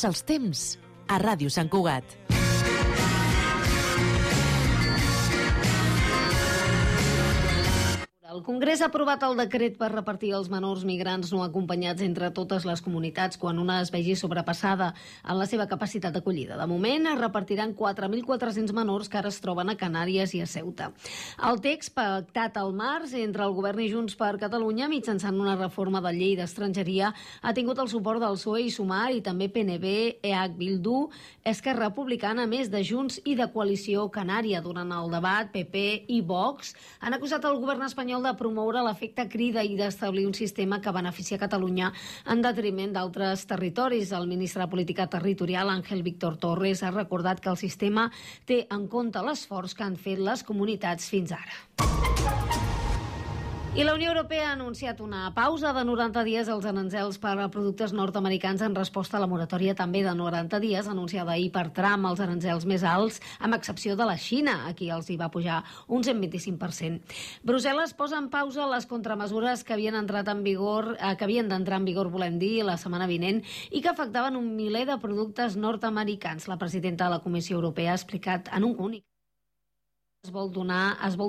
Els temps a Ràdio Sant Cugat. El Congrés ha aprovat el decret per repartir els menors migrants no acompanyats entre totes les comunitats quan una es vegi sobrepassada en la seva capacitat d'acollida. De moment es repartiran 4.400 menors que ara es troben a Canàries i a Ceuta. El text, pactat al març entre el Govern i Junts per Catalunya mitjançant una reforma de llei d'estrangeria, ha tingut el suport del PSOE i Sumar i també PNB, EH Bildu, Esquerra Republicana, a més de Junts i de Coalició Canària. Durant el debat, PP i Vox han acusat el govern espanyol de promoure l'efecte crida i d'establir un sistema que beneficia Catalunya en detriment d'altres territoris. El ministre de Política Territorial, Ángel Víctor Torres, ha recordat que el sistema té en compte l'esforç que han fet les comunitats fins ara. I la Unió Europea ha anunciat una pausa de 90 dies als aranzels per a productes nord-americans en resposta a la moratòria també de 90 dies anunciada ahir per Trump als aranzels més alts, amb excepció de la Xina, a qui els hi va pujar un 125%. Brussel·les posa en pausa les contramesures que havien d'entrar en vigor, volem dir, la setmana vinent i que afectaven un miler de productes nord-americans. La presidenta de la Comissió Europea ha explicat en un comunicat es vol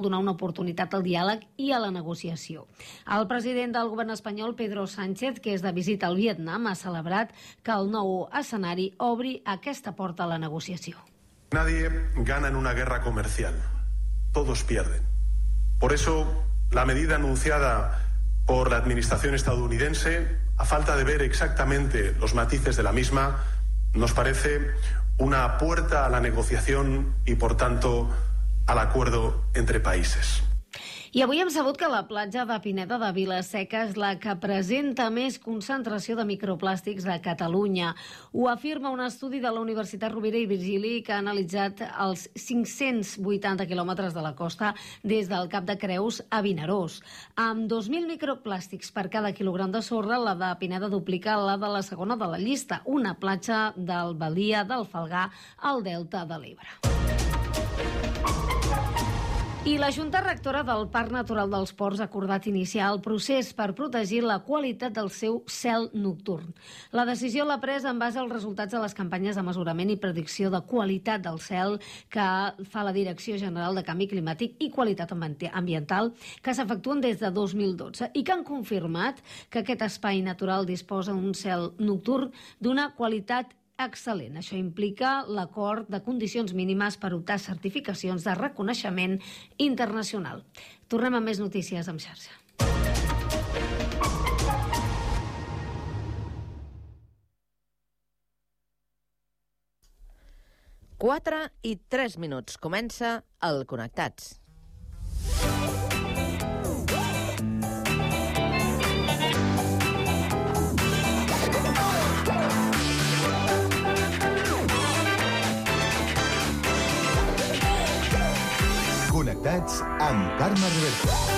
donar una oportunitat al diàleg i a la negociació. El president del govern espanyol, Pedro Sánchez, que és de visita al Vietnam, ha celebrat que el nou escenari obri aquesta porta a la negociació. Nadie gana en una guerra comercial. Todos pierden. Por eso, la medida anunciada por la administración estadounidense, a falta de ver exactamente los matices de la misma, nos parece una puerta a la negociación y, por tanto, al acuerdo entre países. I avui hem sabut que la platja de Pineda de Vila-seca és la que presenta més concentració de microplàstics de Catalunya. Ho afirma un estudi de la Universitat Rovira i Virgili que ha analitzat els 580 quilòmetres de la costa des del Cap de Creus a Vinaròs. Amb 2.000 microplàstics per cada quilogram de sorra, la de Pineda duplica la de la segona de la llista, una platja del Balia del Falgà al Delta de l'Ebre. I la Junta Rectora del Parc Natural dels Ports ha acordat iniciar el procés per protegir la qualitat del seu cel nocturn. La decisió l'ha pres en base als resultats de les campanyes de mesurament i predicció de qualitat del cel que fa la Direcció General de Canvi Climàtic i Qualitat Ambiental, que s'efectuen des de 2012 i que han confirmat que aquest espai natural disposa d'un cel nocturn d'una qualitat excel·lent. Això implica l'acord de condicions mínimes per optar certificacions de reconeixement internacional. Tornem amb més notícies en xarxa. Quatre i 3 minuts. Comença el Connectats. Connectats amb Carme Reverte.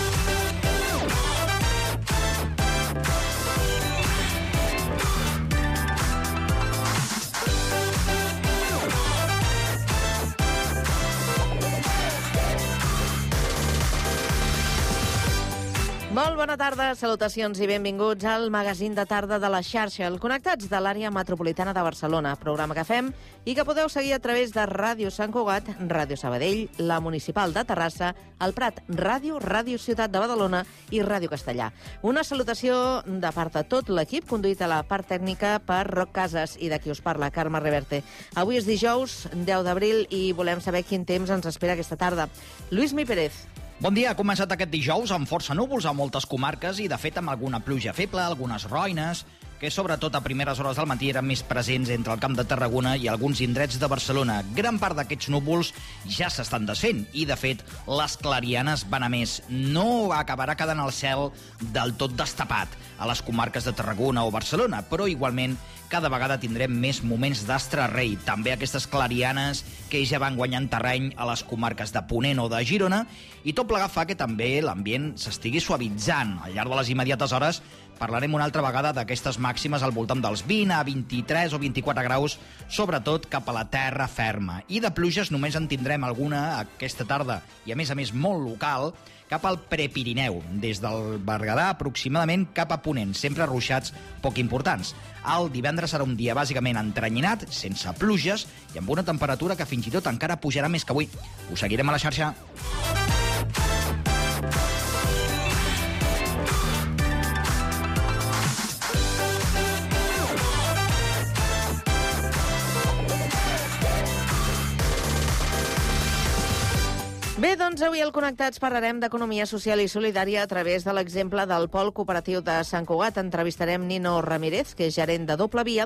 Molt bona tarda, salutacions i benvinguts al magazín de tarda de la xarxa, el Connectats de l'àrea metropolitana de Barcelona, programa que fem i que podeu seguir a través de Ràdio Sant Cugat, Ràdio Sabadell, la Municipal de Terrassa, el Prat Ràdio, Ràdio Ciutat de Badalona i Ràdio Castellà. Una salutació de part de tot l'equip, conduït a la part tècnica per Roc Casas i de qui us parla, Carme Reverte. Avui és dijous, 10 d'abril, i volem saber quin temps ens espera aquesta tarda. Lluís Mi Pérez. Bon dia, ha començat aquest dijous amb força núvols a moltes comarques i, de fet, amb alguna pluja feble, algunes roines, que sobretot a primeres hores del matí eren més presents entre el Camp de Tarragona i alguns indrets de Barcelona. Gran part d'aquests núvols ja s'estan desfent i, de fet, les clarianes van a més. No acabarà quedant el cel del tot destapat a les comarques de Tarragona o Barcelona, però igualment cada vegada tindrem més moments d'astre rei. També aquestes clarianes que ja van guanyant terreny a les comarques de Ponent o de Girona, i tot plegat fa que també l'ambient s'estigui suavitzant. Al llarg de les immediates hores parlarem una altra vegada d'aquestes màximes al voltant dels 20 a 23 o 24 graus, sobretot cap a la terra ferma. I de pluges només en tindrem alguna aquesta tarda, i a més molt local, cap al Prepirineu, des del Berguedà aproximadament cap a Ponent, sempre ruixats poc importants. El divendres serà un dia bàsicament entrenyinat, sense pluges, i amb una temperatura que fins i tot encara pujarà més que avui. Us seguirem a la xarxa. Bé, doncs avui al Connectats parlarem d'economia social i solidària a través de l'exemple del Pol Cooperatiu de Sant Cugat. Entrevistarem Nino Ramírez, que és gerent de Doble Via,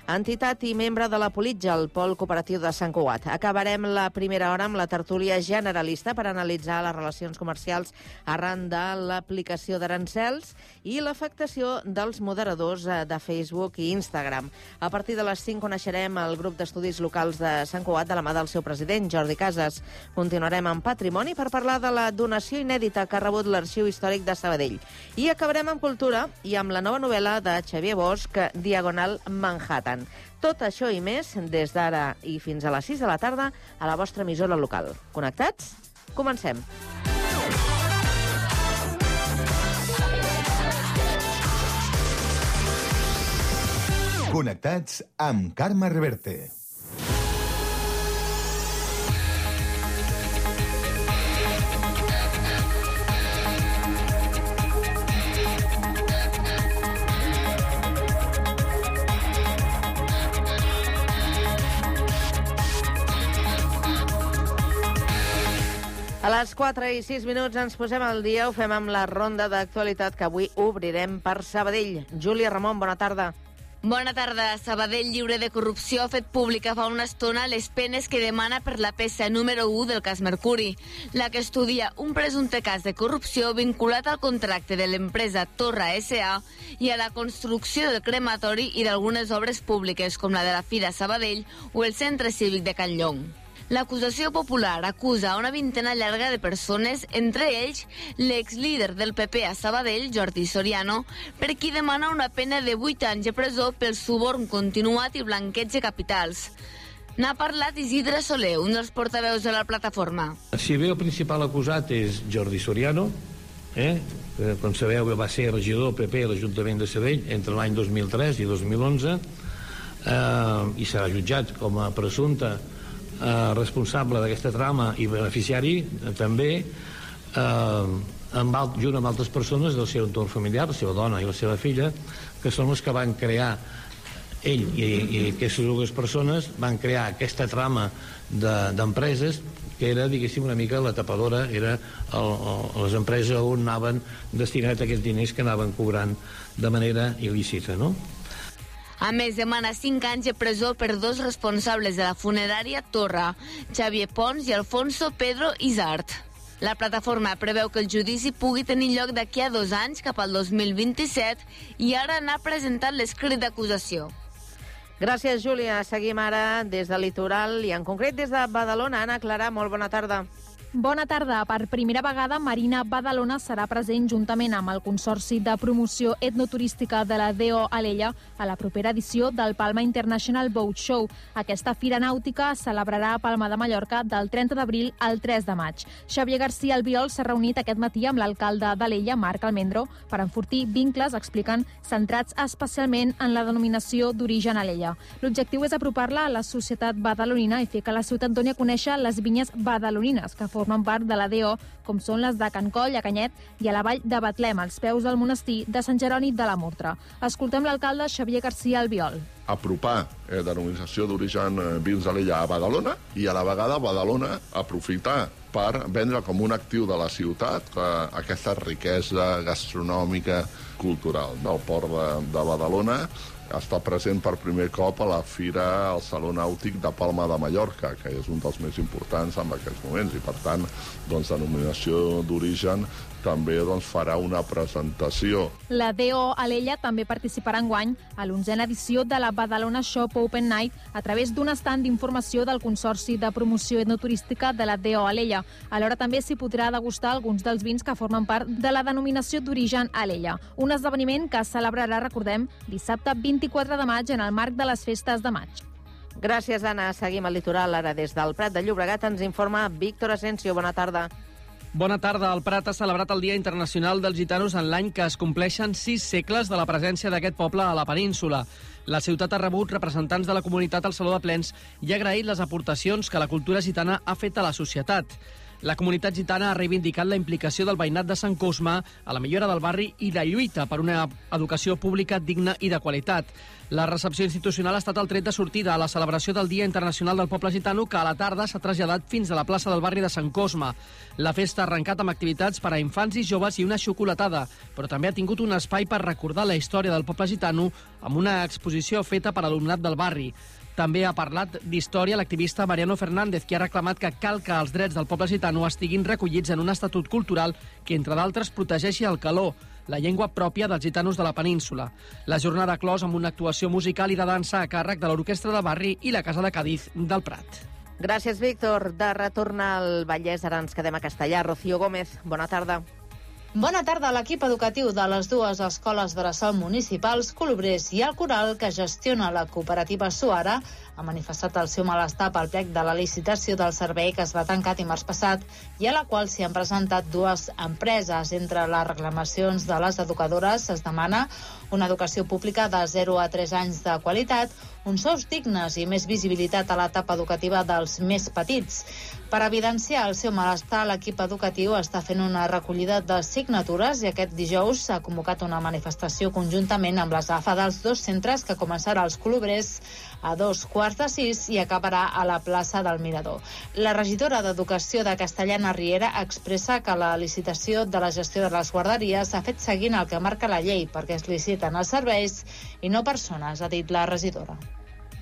entitat i membre de la Politja, el Pol Cooperatiu de Sant Cugat. Acabarem la primera hora amb la tertúlia generalista per analitzar les relacions comercials arran de l'aplicació d'arancels i l'afectació dels moderadors de Facebook i Instagram. A partir de les 5 coneixerem el grup d'estudis locals de Sant Cugat de la mà del seu president, Jordi Casas. Continuarem amb Patrimoni per parlar de la donació inèdita que ha rebut l'Arxiu Històric de Sabadell. I acabarem amb cultura i amb la nova novel·la de Xavier Bosch, Diagonal Manhattan. Tot això i més des d'ara i fins a les 6 de la tarda a la vostra emissora local. Connectats? Comencem. Connectats amb Carme Reverte. A les 4 i 6 minuts ens posem al dia, ho fem amb la ronda d'actualitat que avui obrirem per Sabadell. Júlia Ramon, bona tarda. Bona tarda. Sabadell, lliure de corrupció, ha fet pública fa una estona les penes que demana per la peça número 1 del cas Mercuri, la que estudia un presumpte cas de corrupció vinculat al contracte de l'empresa Torra S.A. i a la construcció del crematori i d'algunes obres públiques, com la de la Fira Sabadell o el Centre Cívic de Can Llong. L'acusació popular acusa una vintena llarga de persones, entre ells l'exlíder del PP a Sabadell, Jordi Soriano, per qui demana una pena de 8 anys de presó pel suborn continuat i blanqueig de capitals. N'ha parlat Isidre Soler, un dels portaveus de la plataforma. Si bé el principal acusat és Jordi Soriano, que, com sabeu, va ser regidor PP a l'Ajuntament de Sabadell entre l'any 2003 i 2011, i serà jutjat com a presumpte responsable d'aquesta trama i beneficiari també junt amb altres persones del seu entorn familiar, la seva dona i la seva filla, que són les que van crear, ell i aquestes dues persones van crear aquesta trama d'empreses que era, diguéssim, una mica la tapadora, era les empreses on anaven destinats aquests diners que anaven cobrant de manera il·lícita, no? A més, demana 5 anys de presó per 2 responsables de la funerària Torra, Xavier Pons i Alfonso Pedro Isart. La plataforma preveu que el judici pugui tenir lloc d'aquí a 2 anys, cap al 2027, i ara n'ha presentat l'escrit d'acusació. Gràcies, Júlia. Seguim ara des del litoral i en concret des de Badalona. Anna Clara, molt bona tarda. Bona tarda. Per primera vegada, Marina Badalona serà present juntament amb el Consorci de Promoció Etnoturística de la DO Alella a la propera edició del Palma International Boat Show. Aquesta fira nàutica es celebrarà a Palma de Mallorca del 30 d'abril al 3 de maig. Xavier García Albiol s'ha reunit aquest matí amb l'alcalde d'Alella, Marc Almendro, per enfortir vincles, expliquen, centrats especialment en la denominació d'origen Alella. L'objectiu és apropar-la a la societat badalonina i fer que la ciutat doni a conèixer les vinyes badalonines, que formen part de la DO, com són les de Can Coll, a Canyet, i a la vall de Betlem, als peus del monestir de Sant Jeroni de la Murtra. Escoltem l'alcalde Xavier García Albiol. Apropar denominació d'origen vins d'Alella a Badalona i a la vegada Badalona aprofitar per vendre com un actiu de la ciutat aquesta riquesa gastronòmica cultural. El port de Badalona està present per primer cop a la fira al Saló Nàutic de Palma de Mallorca, que és un dels més importants en aquests moments, i per tant, denominació d'origen també farà una presentació. La DO Alella també participarà enguany a l'11a edició de la Badalona Shop Open Night a través d'un estand d'informació del Consorci de Promoció Etnoturística de la DO Alella. Alhora també s'hi podrà degustar alguns dels vins que formen part de la denominació d'origen Alella. Un esdeveniment que es celebrarà, recordem, dissabte 24 de maig en el marc de les festes de maig. Gràcies, Anna. Seguim al litoral. Ara des del Prat de Llobregat ens informa Víctor Asensio. Bona tarda. Bona tarda. El Prat ha celebrat el Dia Internacional dels Gitanos en l'any que es compleixen 6 segles de la presència d'aquest poble a la península. La ciutat ha rebut representants de la comunitat al Saló de Plens i ha agraït les aportacions que la cultura gitana ha fet a la societat. La comunitat gitana ha reivindicat la implicació del veïnat de Sant Cosme a la millora del barri i la lluita per una educació pública digna i de qualitat. La recepció institucional ha estat el tret de sortida a la celebració del Dia Internacional del Poble Gitano, que a la tarda s'ha traslladat fins a la plaça del barri de Sant Cosme. La festa ha arrencat amb activitats per a infants i joves i una xocolatada, però també ha tingut un espai per recordar la història del poble gitano amb una exposició feta per alumnat del barri. També ha parlat d'història l'activista Mariano Fernández, que ha reclamat que cal que els drets del poble gitano estiguin recollits en un estatut cultural que, entre d'altres, protegeixi el caló, la llengua pròpia dels gitanos de la península. La jornada clos amb una actuació musical i de dansa a càrrec de l'Orquestra de Barri i la Casa de Càdiz del Prat. Gràcies, Víctor. De retorn al Vallès, ara ens quedem a Castellà. Rocío Gómez, bona tarda. Bona tarda. L'equip educatiu de les dues escoles bressol municipals, Colobrers i el Coral, que gestiona la cooperativa Suara, ha manifestat el seu malestar pel plec de la licitació del servei que es va tancar dimarts passat i a la qual s'hi han presentat dues empreses. Entre les reclamacions de les educadores es demana una educació pública de 0 a 3 anys de qualitat, uns sous dignes i més visibilitat a l'etapa educativa dels més petits. Per evidenciar el seu malestar, l'equip educatiu està fent una recollida de signatures i aquest dijous s'ha convocat una manifestació conjuntament amb les AFA dels dos centres que començarà als Colobrers a 5:45 i acabarà a la plaça del Mirador. La regidora d'Educació de Castellana Riera expressa que la licitació de la gestió de les guarderies s'ha fet seguint el que marca la llei perquè es liciten els serveis i no persones, ha dit la regidora.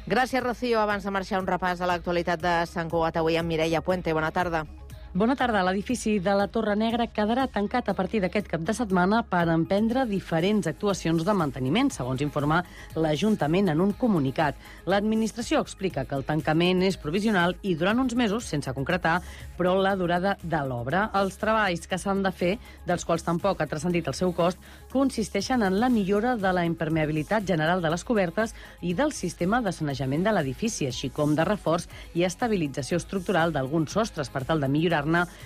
Gràcies, Rocío. Abans de marxar, un repàs a l'actualitat de Sant Cugat avui amb Mireia Puente. Bona tarda. Bona tarda. L'edifici de la Torre Negra quedarà tancat a partir d'aquest cap de setmana per emprendre diferents actuacions de manteniment, segons informa l'Ajuntament en un comunicat. L'administració explica que el tancament és provisional i durant uns mesos, sense concretar, però la durada de l'obra. Els treballs que s'han de fer, dels quals tampoc ha transcendit el seu cost, consisteixen en la millora de la impermeabilitat general de les cobertes i del sistema de sanejament de l'edifici, així com de reforç i estabilització estructural d'alguns sostres per tal de millorar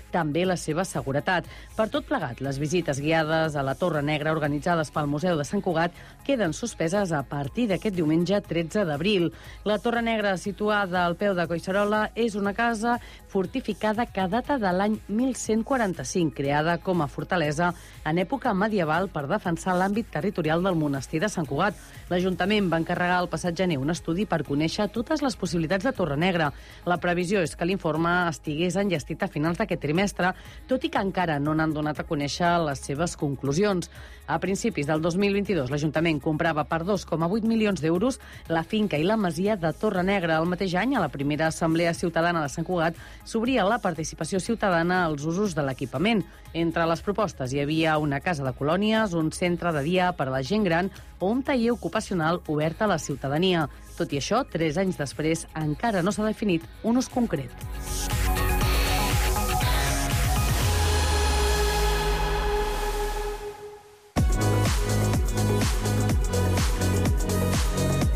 també la seva seguretat. Per tot plegat, les visites guiades a la Torre Negra organitzades pel Museu de Sant Cugat queden suspeses a partir d'aquest diumenge 13 d'abril. La Torre Negra, situada al peu de Collserola, és una casa fortificada que data de l'any 1145, creada com a fortalesa en època medieval per defensar l'àmbit territorial del monestir de Sant Cugat. L'Ajuntament va encarregar al passat gener un estudi per conèixer totes les possibilitats de Torre Negra. La previsió és que l'informe estigués enllestit a finals d'aquest trimestre, tot i que encara no n'han donat a conèixer les seves conclusions. A principis del 2022, l'Ajuntament comprava per 2,8 milions d'euros la finca i la masia de Torre Negra. El mateix any, a la primera Assemblea Ciutadana de Sant Cugat, s'obria la participació ciutadana als usos de l'equipament. Entre les propostes hi havia una casa de colònies, un centre de dia per a la gent gran o un taller ocupacional obert a la ciutadania. Tot i això, 3 anys després, encara no s'ha definit un ús concret.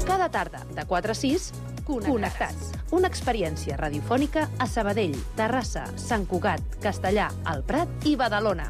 Cada tarda, de 4 a 6, Connectats. Una experiència radiofònica a Sabadell, Terrassa, Sant Cugat, Castellà, el Prat i Badalona.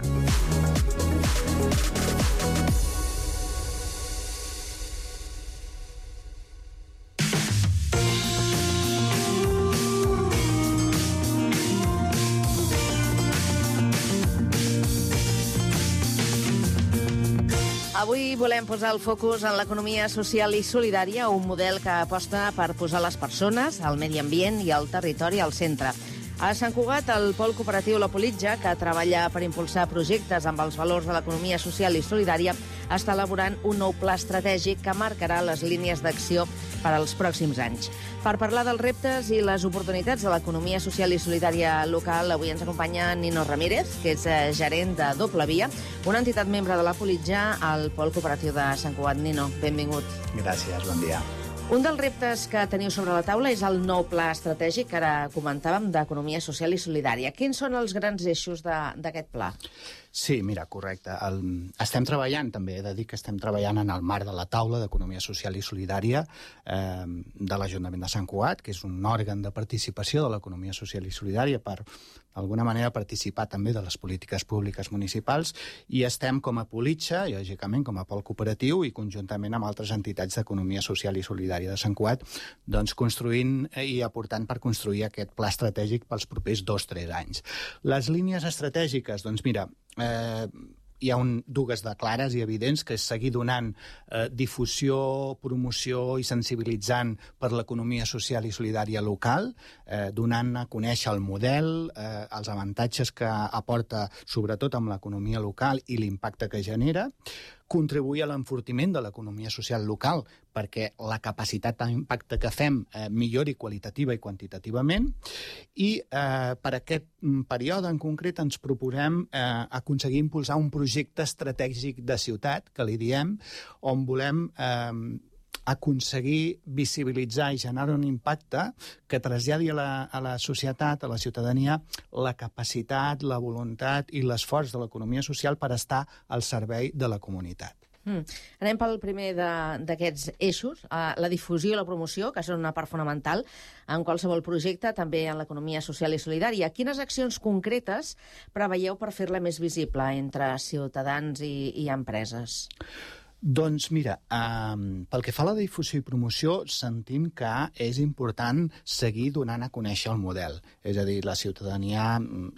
Avui volem posar el focus en l'economia social i solidària, un model que aposta per posar les persones, el medi ambient i el territori al centre. A Sant Cugat, el pol cooperatiu La Politja, que treballa per impulsar projectes amb els valors de l'economia social i solidària, està elaborant un nou pla estratègic que marcarà les línies d'acció per als pròxims anys. Per parlar dels reptes i les oportunitats de l'economia social i solidària local, avui ens acompanya Nino Ramírez, que és gerent de Doble Via, una entitat membre de la Politjà al Pol Cooperatiu de Sant Cugat. Nino, benvingut. Gràcies, bon dia. Un dels reptes que teniu sobre la taula és el nou pla estratègic que ara comentàvem d'economia social i solidària. Quins són els grans eixos d'aquest pla? Sí, mira, correcte. Estem treballant, també he de dir que estem treballant en el marc de la taula d'economia social i solidària de l'Ajuntament de Sant Cugat, que és un òrgan de participació de l'economia social i solidària per, d'alguna manera, participar també de les polítiques públiques municipals, i estem com a Politja, i lògicament com a pol cooperatiu i conjuntament amb altres entitats d'economia social i solidària de Sant Cugat, doncs construint i aportant per construir aquest pla estratègic pels propers 2-3 anys. Les línies estratègiques, doncs mira, hi ha dues de clares i evidents, que és seguir donant difusió, promoció i sensibilitzant per l'economia social i solidària local, donant a conèixer el model, els avantatges que aporta, sobretot amb l'economia local i l'impacte que genera, contribuir a l'enfortiment de l'economia social local perquè la capacitat d'impacte que fem millori qualitativa i quantitativament, i per aquest període en concret ens proposem aconseguir impulsar un projecte estratègic de ciutat, que li diem, on volem aconseguir visibilitzar i generar un impacte que traslladi a la societat, a la ciutadania, la capacitat, la voluntat i l'esforç de l'economia social per estar al servei de la comunitat. Anem pel primer d'aquests eixos, la difusió i la promoció, que són una part fonamental en qualsevol projecte, també en l'economia social i solidària. Quines accions concretes preveieu per fer-la més visible entre ciutadans i empreses? Doncs mira, pel que fa a la difusió i promoció, sentim que és important seguir donant a conèixer el model. És a dir, la ciutadania,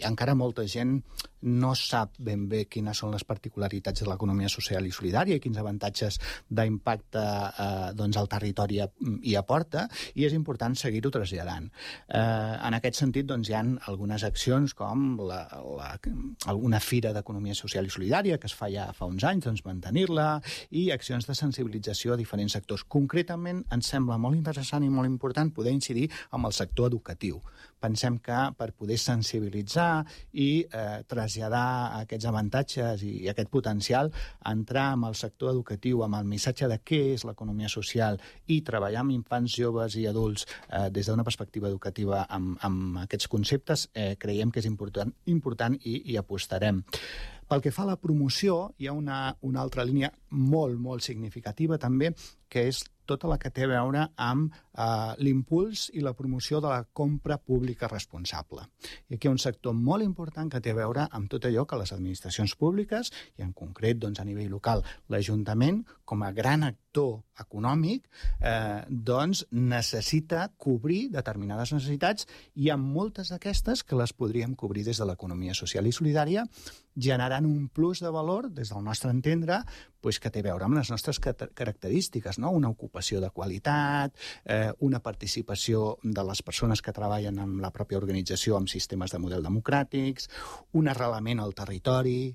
encara molta gent no sap ben bé quines són les particularitats de l'economia social i solidària i quins avantatges d'impacte al territori hi aporta, i és important seguir-ho traslladant. En aquest sentit, hi ha algunes accions com una fira d'economia social i solidària que es fa ja fa uns anys, mantenir-la, i accions de sensibilització a diferents sectors. Concretament, ens sembla molt interessant i molt important poder incidir en el sector educatiu. Pensem que per poder sensibilitzar i traslladar aquests avantatges i aquest potencial, entrar en el sector educatiu amb el missatge de què és l'economia social i treballar amb infants, joves i adults des d'una perspectiva educativa amb aquests conceptes, creiem que és important i apostarem. Pel que fa a la promoció, hi ha una altra línia molt, molt significativa també, que és tota la que té a veure amb l'impuls i la promoció de la compra pública responsable. I aquí hi ha un sector molt important que té a veure amb tot allò que les administracions públiques, i en concret a nivell local l'Ajuntament, com a gran actor econòmic, necessita cobrir determinades necessitats, i hi ha moltes d'aquestes que les podríem cobrir des de l'economia social i solidària, generant un plus de valor, des del nostre entendre, que té a veure amb les nostres característiques, una ocupació de qualitat, una participació de les persones que treballen en la pròpia organització amb sistemes de model democràtics, un arrelament al territori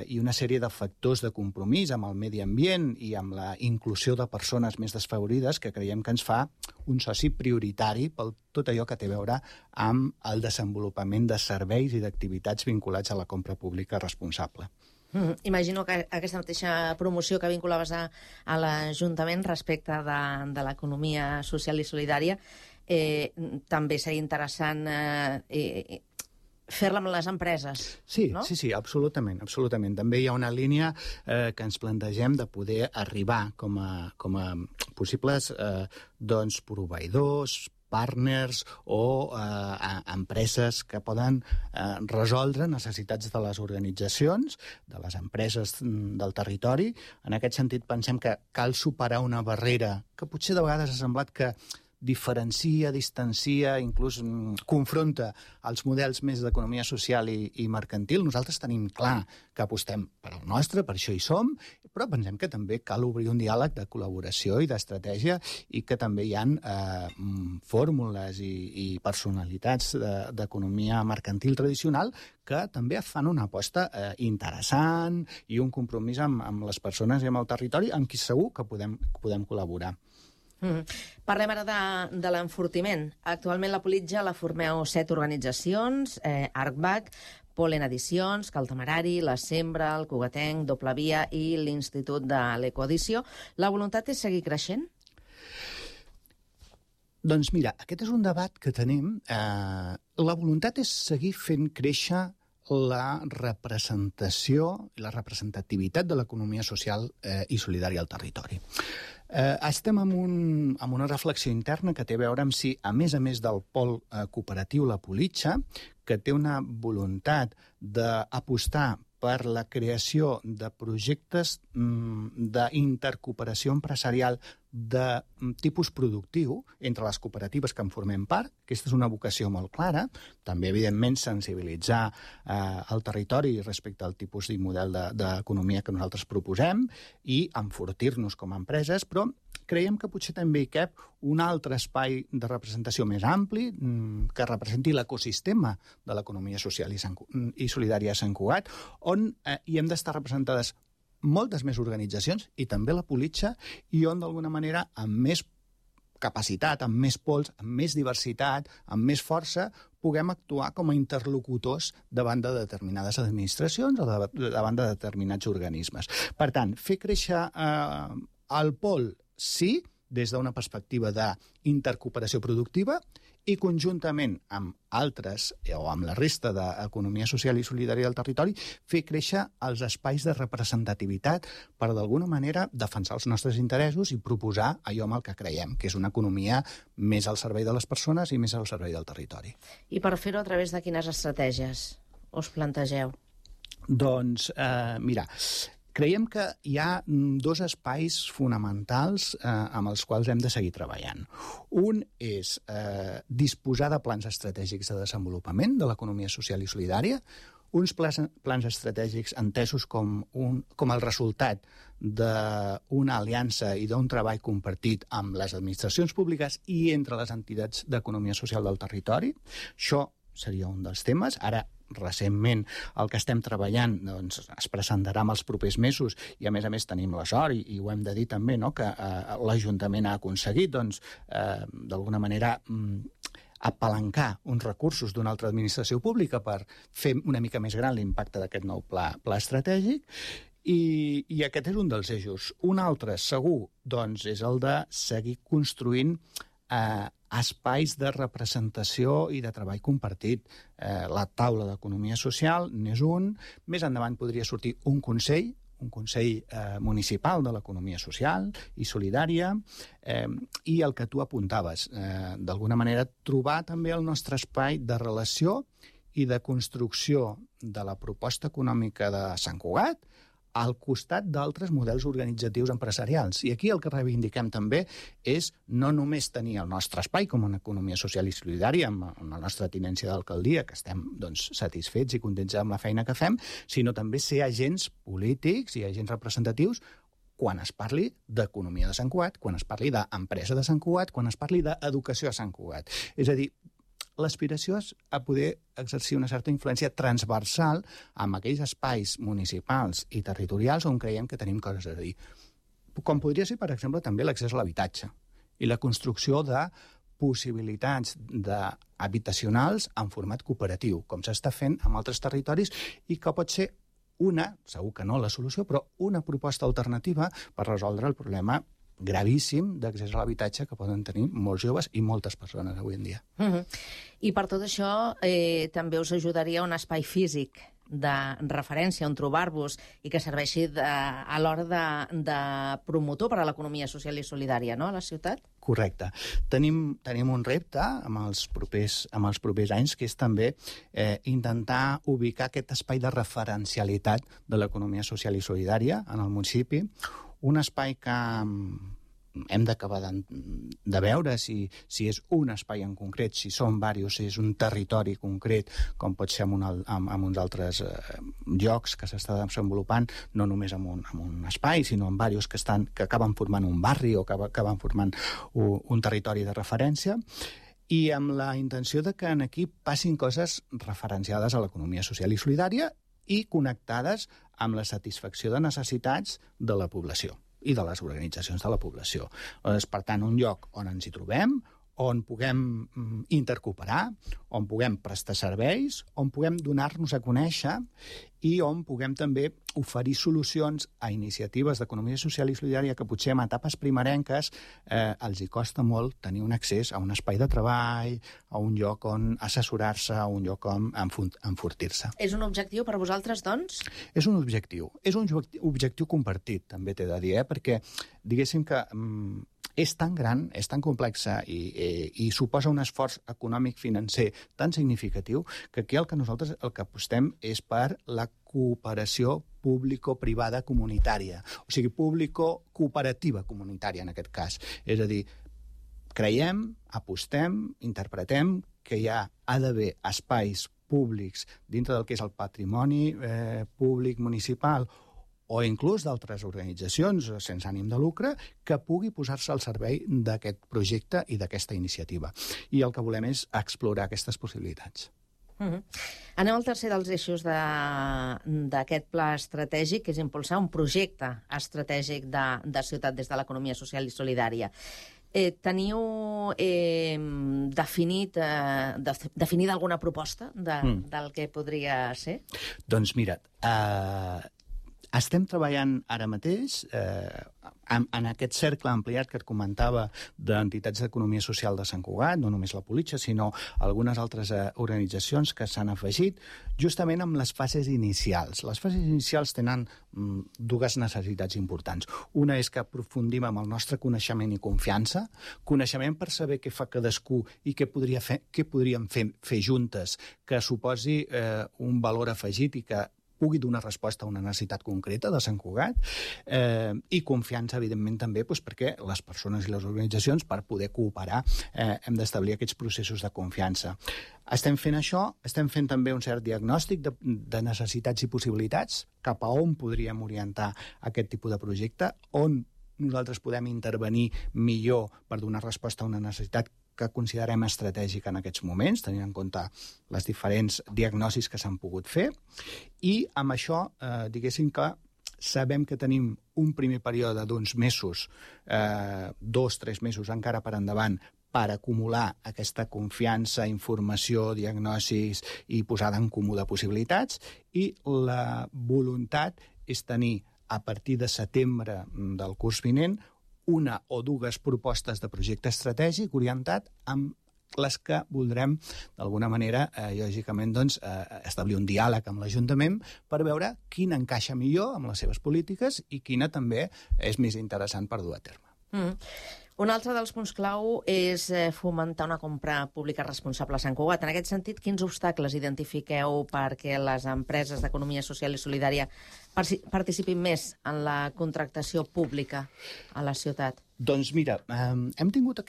i una sèrie de factors de compromís amb el medi ambient i amb la inclusió de persones més desfavorides que creiem que ens fa un soci prioritari per tot allò que té a veure amb el desenvolupament de serveis i d'activitats vinculats a la compra pública responsable. Imagino que aquesta mateixa promoció que vinculaves a l'Ajuntament respecte de l'economia social i solidària també seria interessant fer-la amb les empreses, no? Sí, absolutament. També hi ha una línia que ens plantegem de poder arribar com a possibles proveïdors, partners o empreses que poden resoldre necessitats de les organitzacions, de les empreses del territori. En aquest sentit, pensem que cal superar una barrera que potser de vegades ha semblat que diferencia, distancia, inclús confronta els models més d'economia social i mercantil. Nosaltres tenim clar que apostem per al nostre, per això hi som, però pensem que també cal obrir un diàleg de col·laboració i d'estratègia i que també hi ha fórmules i personalitats d'economia mercantil tradicional que també fan una aposta interessant i un compromís amb les persones i amb el territori amb qui segur que podem col·laborar. Parlem ara de l'enfortiment. Actualment la Politja la formeu 7 organitzacions, ArcBac, Polen Edicions, Cal Temerari, La Sembra, el Cugatenc, Doble Via i l'Institut de l'Ecoedició. La voluntat és seguir creixent? Doncs mira, aquest és un debat que tenim. La voluntat és seguir fent créixer la representació i la representativitat de l'economia social i solidària al territori. Estem en una reflexió interna que té a veure amb si, a més del pol cooperatiu La Politja, que té una voluntat d'apostar per la creació de projectes d'intercooperació empresarial de tipus productiu entre les cooperatives que en formem part. Aquesta és una vocació molt clara. També, evidentment, sensibilitzar el territori respecte al tipus i model d'economia que nosaltres proposem i enfortir-nos com a empreses, però creiem que potser també hi cap un altre espai de representació més ampli que representi l'ecosistema de l'economia social i solidària a Sant Cugat, on hi hem d'estar representades moltes més organitzacions, i també la Politja, i on, d'alguna manera, amb més capacitat, amb més pols, amb més diversitat, amb més força, puguem actuar com a interlocutors davant de determinades administracions o davant de determinats organismes. Per tant, fer créixer el pol, sí, des d'una perspectiva d'intercooperació productiva, i conjuntament amb altres, o amb la resta d'economia social i solidària del territori, fer créixer els espais de representativitat per, d'alguna manera, defensar els nostres interessos i proposar allò en el que creiem, que és una economia més al servei de les persones i més al servei del territori. I per fer-ho a través de quines estratègies us plantegeu? Doncs, mira, creiem que hi ha 2 espais fonamentals amb els quals hem de seguir treballant. Un és disposar de plans estratègics de desenvolupament de l'economia social i solidària, uns plans estratègics entesos com el resultat d'una aliança i d'un treball compartit amb les administracions públiques i entre les entitats d'economia social del territori. Això seria un dels temes. Ara, recentment, el que estem treballant es presentarà en els propers mesos i, a més tenim la sort, i ho hem de dir també, que l'Ajuntament ha aconseguit, d'alguna manera, apalancar uns recursos d'una altra administració pública per fer una mica més gran l'impacte d'aquest nou pla estratègic. I aquest és un dels eixos. Un altre, segur, és el de seguir construint espais de representació i de treball compartit. La taula d'economia social n'és un. Més endavant podria sortir un consell municipal de l'economia social i solidària, i el que tu apuntaves, d'alguna manera trobar també el nostre espai de relació i de construcció de la proposta econòmica de Sant Cugat al costat d'altres models organitzatius empresarials. I aquí el que reivindiquem també és no només tenir el nostre espai com una economia social i solidària amb la nostra tinència d'alcaldia, que estem satisfets i contents amb la feina que fem, sinó també ser agents polítics i agents representatius quan es parli d'economia de Sant Cugat, quan es parli d'empresa de Sant Cugat, quan es parli d'educació a Sant Cugat. És a dir, l'aspiració és a poder exercir una certa influència transversal amb aquells espais municipals i territorials on creiem que tenim coses a dir. Com podria ser, per exemple, també l'accés a l'habitatge i la construcció de possibilitats habitacionals en format cooperatiu, com s'està fent en altres territoris, i que pot ser segur que no la solució, però una proposta alternativa per resoldre el problema gravíssim d'accés a l'habitatge que poden tenir molts joves i moltes persones avui en dia. I per tot això també us ajudaria un espai físic de referència on trobar-vos i que serveixi a l'hora de promotor per a l'economia social i solidària, no?, a la ciutat? Correcte. Tenim un repte amb els propers anys, que és també intentar ubicar aquest espai de referencialitat de l'economia social i solidària en el municipi, un espai que hem d'acabar de veure si és un espai en concret, si són diversos, si és un territori concret, com pot ser en uns altres llocs que s'està desenvolupant, no només en un espai, sinó en diversos que acaben formant un barri o que acaben formant un territori de referència, i amb la intenció de que aquí passin coses referenciades a l'economia social i solidària i connectades amb la satisfacció de necessitats de la població i de les organitzacions de la població. És, per tant, un lloc on ens hi trobem, on puguem intercooperar, on puguem prestar serveis, on puguem donar-nos a conèixer i on puguem també oferir solucions a iniciatives d'economia social i solidària que potser en etapes primerenques els hi costa molt tenir un accés a un espai de treball, a un lloc on assessorar-se, a un lloc on enfortir-se. És un objectiu per vosaltres, doncs? És un objectiu. És un objectiu compartit, també t'he de dir, perquè diguéssim que és tan gran, és tan complexa i suposa un esforç econòmic financer tan significatiu que aquí el que nosaltres apostem és per la cooperació público-privada comunitària, o sigui, público-cooperativa comunitària en aquest cas. És a dir, creiem, apostem, interpretem que hi ha d'haver espais públics dintre del que és el patrimoni públic municipal o inclús d'altres organitzacions sense ànim de lucre, que pugui posar-se al servei d'aquest projecte i d'aquesta iniciativa. I el que volem és explorar aquestes possibilitats. Anem al tercer dels eixos d'aquest pla estratègic, que és impulsar un projecte estratègic de ciutat des de l'economia social i solidària. Teniu definida alguna proposta del que podria ser? Doncs mira, estem treballant ara mateix en aquest cercle ampliat que et comentava d'entitats d'economia social de Sant Cugat, no només la Politxa, sinó algunes altres organitzacions que s'han afegit, justament amb les fases inicials. Les fases inicials tenen dues necessitats importants. Una és que aprofundim amb el nostre coneixement i confiança, coneixement per saber què fa cadascú i què podríem fer juntes, que suposi un valor afegit i que pugui donar resposta a una necessitat concreta de Sant Cugat, i confiança, evidentment, també perquè les persones i les organitzacions, per poder cooperar, hem d'establir aquests processos de confiança. Estem fent això, estem fent també un cert diagnòstic de necessitats i possibilitats, cap a on podríem orientar aquest tipus de projecte, on nosaltres podem intervenir millor per donar resposta a una necessitat que considerem estratègica en aquests moments, tenint en compte les diferents diagnosis que s'han pogut fer, i amb això, diguéssim que sabem que tenim un primer període d'uns mesos, 2-3 mesos encara per endavant, per acumular aquesta confiança, informació, diagnosis i posada en comú de possibilitats, i la voluntat és tenir, a partir de setembre del curs vinent, una o dues propostes de projecte estratègic orientat amb les que voldrem, d'alguna manera, lògicament, establir un diàleg amb l'Ajuntament per veure quina encaixa millor amb les seves polítiques i quina també és més interessant per dur a terme. Un altre dels punts clau és fomentar una compra pública responsable a Sant Cugat. En aquest sentit, quins obstacles identifiqueu perquè les empreses d'economia social i solidària participin més en la contractació pública a la ciutat? Doncs mira, hem tingut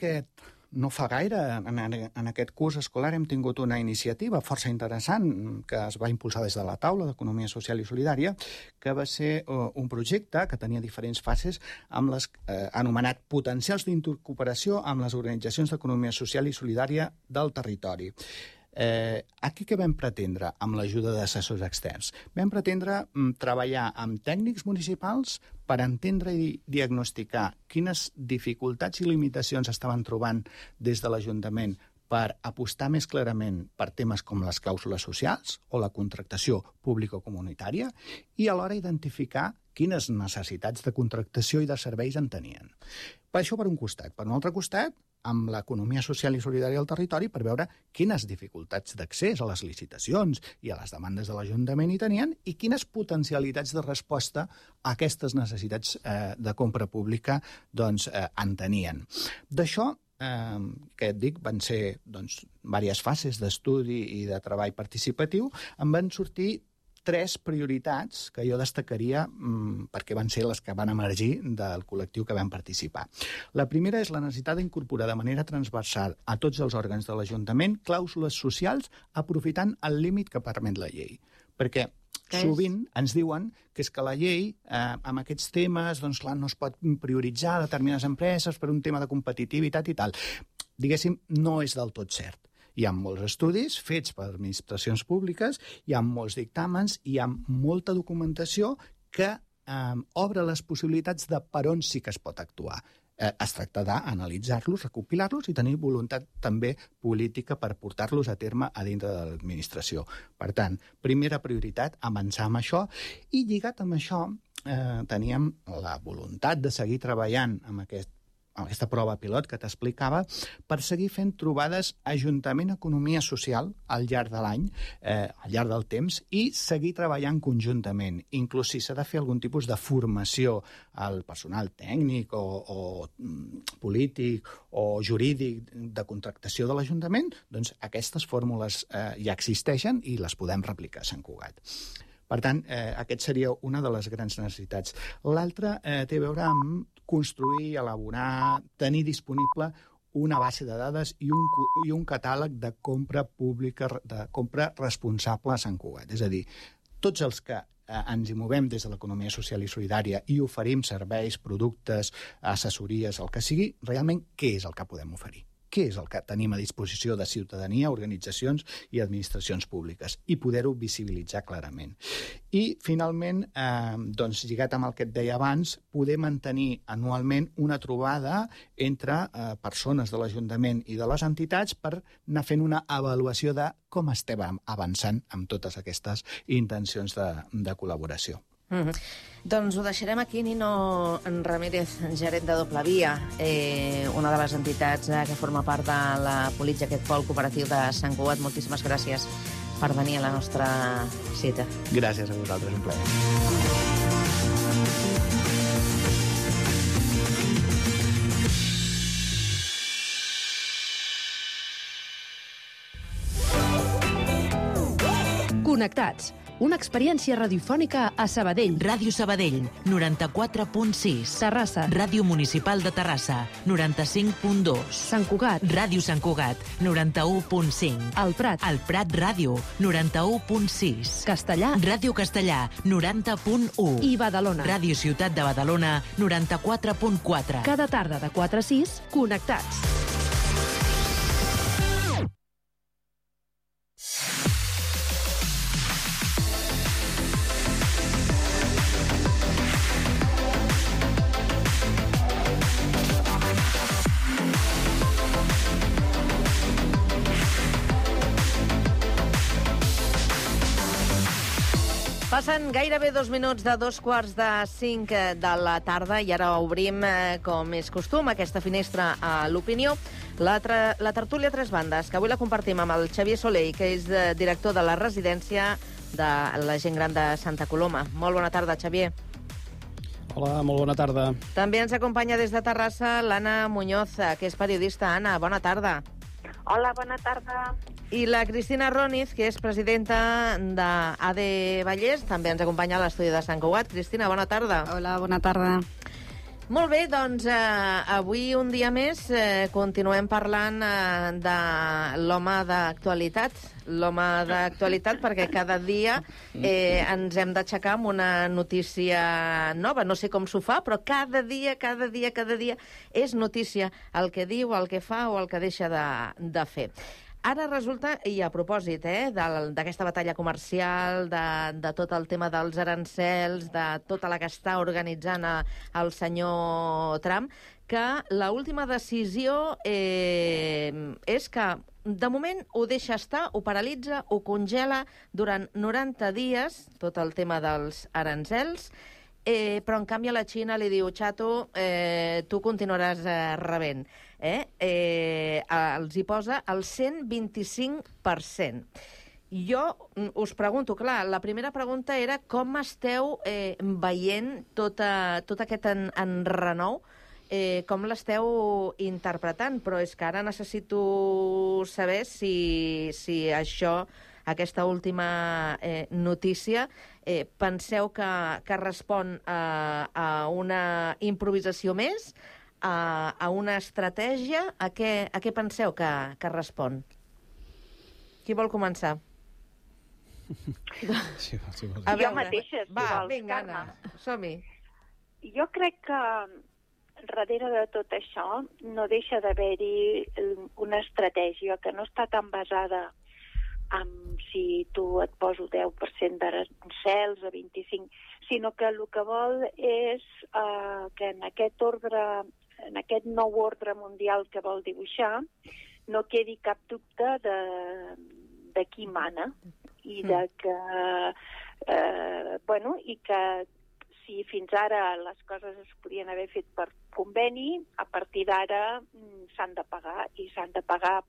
no fa gaire, en aquest curs escolar, hem tingut una iniciativa força interessant que es va impulsar des de la taula d'Economia Social i Solidària, que va ser un projecte que tenia diferents fases amb les anomenat potencials d'intercooperació amb les organitzacions d'economia social i solidària del territori. Aquí què vam pretendre amb l'ajuda d'assessors externs? Vam pretendre treballar amb tècnics municipals per entendre i diagnosticar quines dificultats i limitacions estaven trobant des de l'Ajuntament per apostar més clarament per temes com les clàusules socials o la contractació público-comunitària i alhora identificar quines necessitats de contractació i de serveis en tenien. Per això per un costat. Per un altre costat, amb l'economia social i solidària del territori per veure quines dificultats d'accés a les licitacions i a les demandes de l'Ajuntament hi tenien i quines potencialitats de resposta a aquestes necessitats de compra pública en tenien. D'això, que et dic, van ser diverses fases d'estudi i de treball participatiu, en van sortir 3 prioritats que jo destacaria perquè van ser les que van emergir del col·lectiu que vam participar. La primera és la necessitat d'incorporar de manera transversal a tots els òrgans de l'Ajuntament clàusules socials aprofitant el límit que permet la llei. Perquè sovint ens diuen que és que la llei, amb aquests temes, doncs clar, no es pot prioritzar determinades empreses per un tema de competitivitat i tal. Diguéssim, no és del tot cert. Hi ha molts estudis fets per administracions públiques, hi ha molts dictàmens, hi ha molta documentació que obre les possibilitats de per on sí que es pot actuar. Es tracta d'analitzar-los, recopilar-los i tenir voluntat també política per portar-los a terme a dintre de l'administració. Per tant, primera prioritat, avançar amb això, i lligat amb això teníem la voluntat de seguir treballant amb aquesta prova pilot que t'explicava, per seguir fent trobades Ajuntament-Economia Social al llarg de l'any, al llarg del temps, i seguir treballant conjuntament. Inclús si s'ha de fer algun tipus de formació al personal tècnic o polític o jurídic de contractació de l'Ajuntament, doncs aquestes fórmules ja existeixen i les podem replicar a Sant Cugat. Per tant, aquest seria una de les grans necessitats. L'altra té a veure amb construir, elaborar, tenir disponible una base de dades i un catàleg de compra pública, de compra responsable a Sant Cugat. És a dir, tots els que ens hi movem des de l'economia social i solidària i oferim serveis, productes, assessories, el que sigui, realment què és el que podem oferir? Què és el que tenim a disposició de ciutadania, organitzacions i administracions públiques, i poder-ho visibilitzar clarament. I, finalment, doncs, lligat amb el que et deia abans, poder mantenir anualment una trobada entre persones de l'Ajuntament i de les entitats per anar fent una avaluació de com estem avançant amb totes aquestes intencions de col·laboració. Doncs ho deixarem aquí. Nino Ramírez, gerent de Doble Via, una de les entitats que forma part de la política, aquest pol cooperatiu de Sant Cugat. Moltíssimes gràcies per venir a la nostra cita. Gràcies a vosaltres, un plaer. Connectats. Una experiència radiofònica a Sabadell. Ràdio Sabadell, 94.6. Terrassa. Ràdio Municipal de Terrassa, 95.2. Sant Cugat. Ràdio Sant Cugat, 91.5. El Prat. El Prat Ràdio, 91.6. Castellà. Ràdio Castellà, 90.1. I Badalona. Ràdio Ciutat de Badalona, 94.4. Cada tarda de 4 a 6, Connectats. Passen gairebé 2 minuts de 2:45 de la tarda i ara obrim, com és costum, aquesta finestra a l'opinió. La tertúlia Tres Bandes, que avui la compartim amb el Xavier Soler, que és director de la residència de la gent gran de Santa Coloma. Molt bona tarda, Xavier. Hola, molt bona tarda. També ens acompanya des de Terrassa l'Anna Muñoz, que és periodista. Anna, bona tarda. Hola, bona tarda. I la Cristina Roniz, que és presidenta d'AD Vallès, també ens acompanya a l'estudi de Sant Cugat. Cristina, bona tarda. Hola, bona tarda. Molt bé, doncs avui un dia més continuem parlant de l'home d'actualitat. L'home d'actualitat perquè cada dia ens hem d'aixecar amb una notícia nova. No sé com s'ho fa, però cada dia és notícia el que diu, el que fa o el que deixa de fer. Ara resulta, i a propòsit d'aquesta batalla comercial, de tot el tema dels arancels, de tota la que està organitzant el senyor Trump, que l'última decisió és que de moment ho deixa estar, ho paralitza, ho congela durant 90 dies, tot el tema dels arancels, però en canvi a la Xina li diu, xato, tu continuaràs rebent. Els hi posa el 125%. Jo us pregunto, clar, la primera pregunta era com esteu veient tot aquest enrenou, com l'esteu interpretant, però és que ara necessito saber si això aquesta última notícia, penseu que respon a una improvisació més, a una estratègia? A què penseu que respon? Qui vol començar? Jo mateixa, si vols, vinga, Carme. Anna, som-hi. Jo crec que darrere de tot això no deixa d'haver-hi una estratègia que no està tan basada en si tu et poso 10% d'arancels o 25%, sinó que el que vol és que en aquest nou ordre mundial que vol dibuixar no quedi cap dubte de qui mana i de que i que si fins ara les coses es podien haver fet per conveni, a partir d'ara s'han de pagar, i s'han de pagar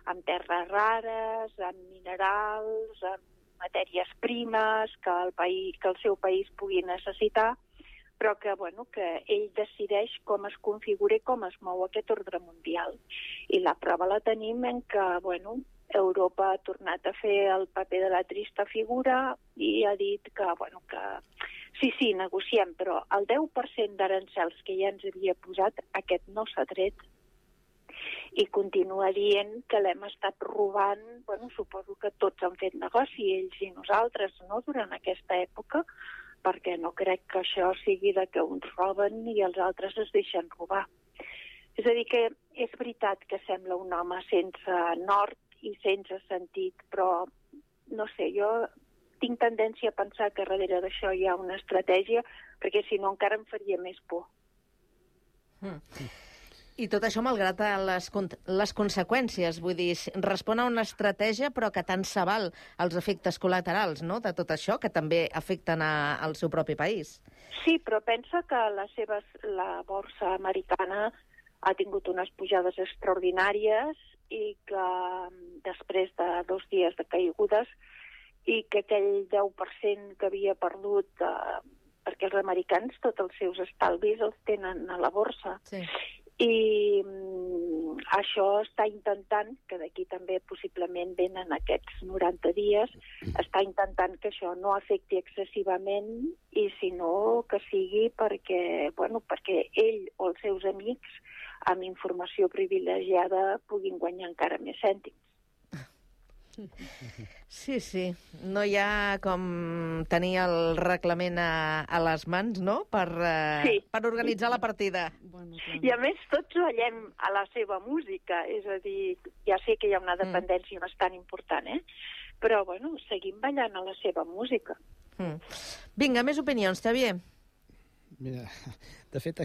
amb terres rares, amb minerals, amb matèries primes que el seu país pugui necessitar, però que ell decideix com es configura i com es mou aquest ordre mundial. I la prova la tenim en que, Europa ha tornat a fer el paper de la trista figura i ha dit que sí, negociem, però el 10% d'arancels que ja ens havia posat, aquest no s'ha tret. I continua dient que l'hem estat robant, suposo que tots han fet negoci, ells i nosaltres, no?, durant aquesta època, perquè no crec que això sigui de que uns roben i els altres es deixen robar. És a dir, que és veritat que sembla un home sense nord i sense sentit, però, no sé, jo tinc tendència a pensar que darrere d'això hi ha una estratègia, perquè si no encara em faria més por. I tot això malgrat les conseqüències, vull dir, respon a una estratègia però que tant se val els efectes col·laterals, no?, de tot això, que també afecten al seu propi país. Sí, però pensa que la borsa americana ha tingut unes pujades extraordinàries i que després de 2 dies de caigudes i que aquell 10% que havia perdut, perquè els americans tots els seus estalvis els tenen a la borsa. Sí. I això està intentant, que d'aquí també possiblement venen aquests 90 dies, està intentant que això no afecti excessivament i si no que sigui perquè ell o els seus amics amb informació privilegiada puguin guanyar encara més cèntims. Sí. No hi ha com tenir el reglament a les mans, no?, per organitzar la partida. I a més tots ballem a la seva música, és a dir, ja sé que hi ha una dependència bastant important, però seguim ballant a la seva música. Vinga, més opinions, Xavier. Mira, de fet,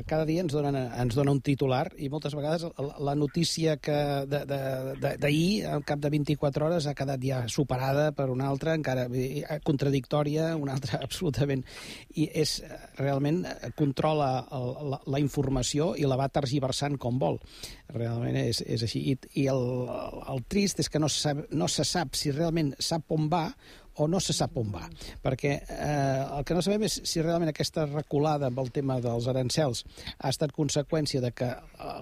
cada dia ens dona un titular i moltes vegades la notícia d'ahir, al cap de 24 hores, ha quedat ja superada per una altra, encara contradictòria, una altra absolutament. I realment controla la informació i la va tergiversant com vol. Realment és així. I el trist és que no se sap si realment sap on va o no se sap on va, perquè el que no sabem és si realment aquesta reculada amb el tema dels arancels ha estat conseqüència de que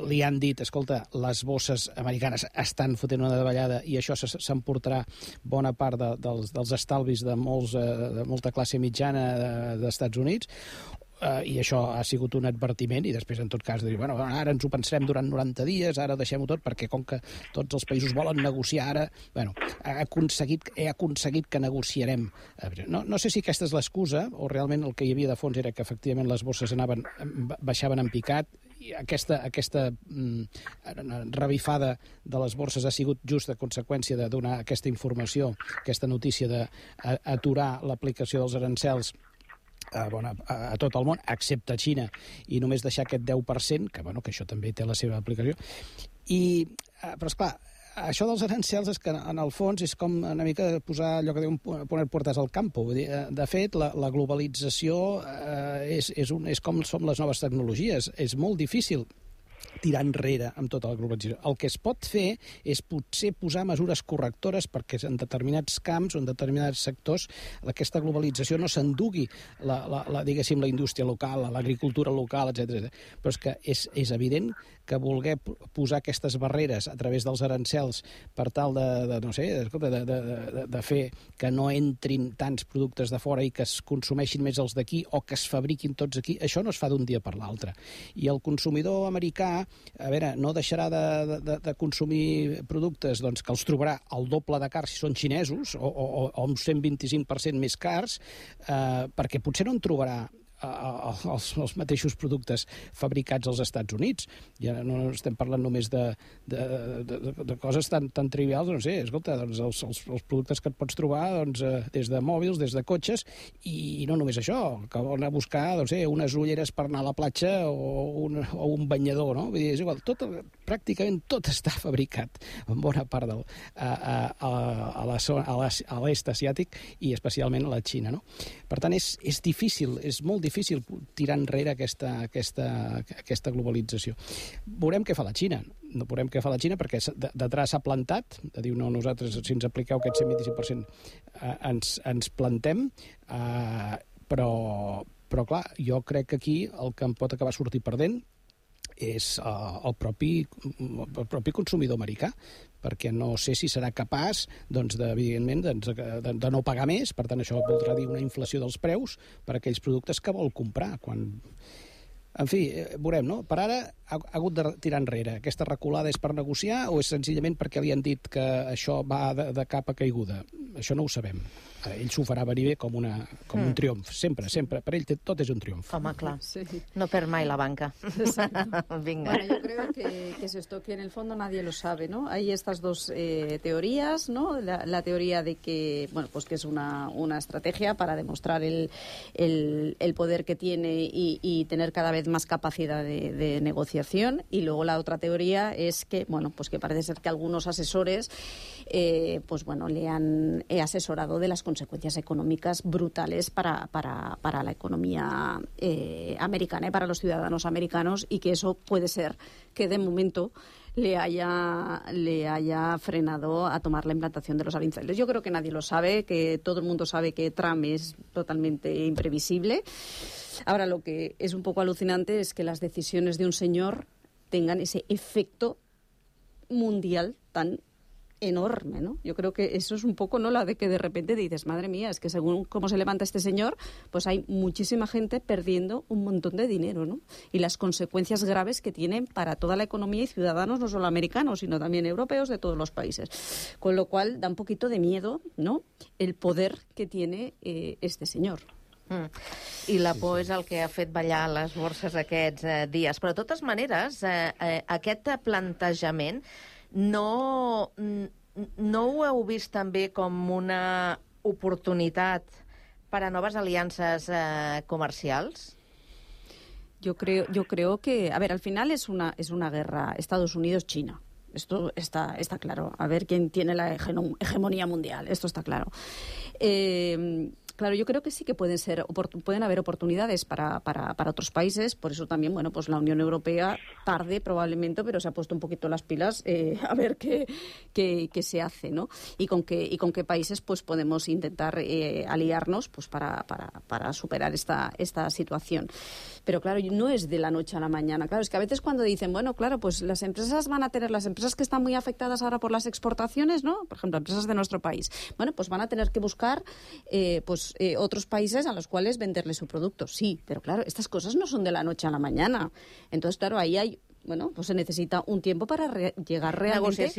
li han dit, escolta, les bosses americanes estan fotent una davallada i això s'emportarà bona part dels estalvis de molta classe mitjana d'Estats Units, i això ha sigut un advertiment i després en tot cas dir, ara ens ho pensarem durant 90 dies, ara deixem-ho tot perquè com que tots els països volen negociar ara, he aconseguit que negociarem. No sé si aquesta és l'excusa o realment el que hi havia de fons era que efectivament les bosses baixaven en picat i aquesta revifada de les borses ha sigut just a conseqüència de donar aquesta informació, aquesta notícia d'aturar l'aplicació dels arancels a tot el món, excepte a Xina, i només deixar aquest 10%, que això també té la seva aplicació. Però, esclar, això dels arancels és que, en el fons, és com una mica posar allò que diuen poner puertas al campo. De fet, la globalització és com són les noves tecnologies. És molt difícil tirar enrere amb tota la globalització. El que es pot fer és potser posar mesures correctores perquè en determinats camps o en determinats sectors aquesta globalització no s'endugui diguéssim, la indústria local, l'agricultura local, etc. Però és que és evident que voler posar aquestes barreres a través dels arancels per tal de fer que no entrin tants productes de fora i que es consumeixin més els d'aquí o que es fabriquin tots aquí, això no es fa d'un dia per l'altre. I el consumidor americà, a veure, no deixarà de consumir productes doncs, que els trobarà el doble de cars si són xinesos o un 125% més cars, perquè potser no en trobarà els mateixos productes fabricats als Estats Units. Ja no estem parlant només de coses tan trivials, no sé, escolta, doncs els productes que et pots trobar des de mòbils, des de cotxes, i no només això, que van a buscar unes ulleres per anar a la platja o un banyador, no? Vull dir, és igual, pràcticament tot està fabricat, en bona part a l'est asiàtic i especialment a la Xina, no? Per tant, és difícil, és molt difícil tirar enrere aquesta globalització. Veurem què fa la Xina. No veurem què fa la Xina perquè d'entrada s'ha plantat, diu, no, nosaltres, si ens apliqueu aquest 125%, ens plantem, però clar, jo crec que aquí el que em pot acabar sortir perdent és el propi consumidor americà, perquè no sé si serà capaç, evidentment, de no pagar més. Per tant, això voldrà dir una inflació dels preus per a aquells productes que vol comprar. En fi, veurem, no? Per ara ha hagut de tirar enrere. Aquesta reculada és per negociar o és senzillament perquè li han dit que això va de capa caiguda? Això no ho sabem. Ell s'ho farà venir bé com un triomf. Sempre. Per ell tot és un triomf. Home, clar. Sí. No perd mai la banca. Venga. Bueno, yo creo que es esto, que en el fondo nadie lo sabe, ¿no? Hay estas dos teorías, ¿no? La teoría de que, bueno, pues que es una estrategia para demostrar el poder que tiene y tener cada vez más capacidad de negociación, y luego la otra teoría es que, bueno, pues que parece ser que algunos asesores pues bueno, le han asesorado de las consecuencias económicas brutales para la economía americana y para los ciudadanos americanos, y que eso puede ser que de momento le haya frenado a tomar la implantación de los aranceles. Yo creo que nadie lo sabe, que todo el mundo sabe que Trump es totalmente imprevisible. Ahora, lo que es un poco alucinante es que las decisiones de un señor tengan ese efecto mundial tan enorme, ¿no? Yo creo que eso es un poco, ¿no?, la de que de repente dices, madre mía, es que según cómo se levanta este señor, pues hay muchísima gente perdiendo un montón de dinero, ¿no? Y las consecuencias graves que tienen para toda la economía y ciudadanos, no solo americanos, sino también europeos de todos los países. Con lo cual da un poquito de miedo, ¿no?, el poder que tiene este señor. I la por és el que ha fet ballar les borses aquests dies. Però, de totes maneres, aquest plantejament no ho heu vist també com una oportunitat per a noves aliances comercials? Yo creo que, a ver, al final es una guerra Estados Unidos-China. Esto está claro. A ver quién tiene la hegemonía mundial. Esto está claro. Claro, yo creo que sí que pueden haber oportunidades para otros países. Por eso también, bueno, pues la Unión Europea tarde probablemente, pero se ha puesto un poquito las pilas a ver qué se hace, ¿no? Y con qué países pues podemos intentar aliarnos pues para superar esta situación. Pero claro, no es de la noche a la mañana. Claro, es que a veces cuando dicen, bueno, claro, pues las empresas que están muy afectadas ahora por las exportaciones, ¿no? Por ejemplo, empresas de nuestro país, bueno, pues van a tener que buscar otros países a los cuales venderle su producto. Sí, pero claro, estas cosas no son de la noche a la mañana. Entonces, claro, ahí hay... Bueno, pues se necesita un tiempo para llegar realmente,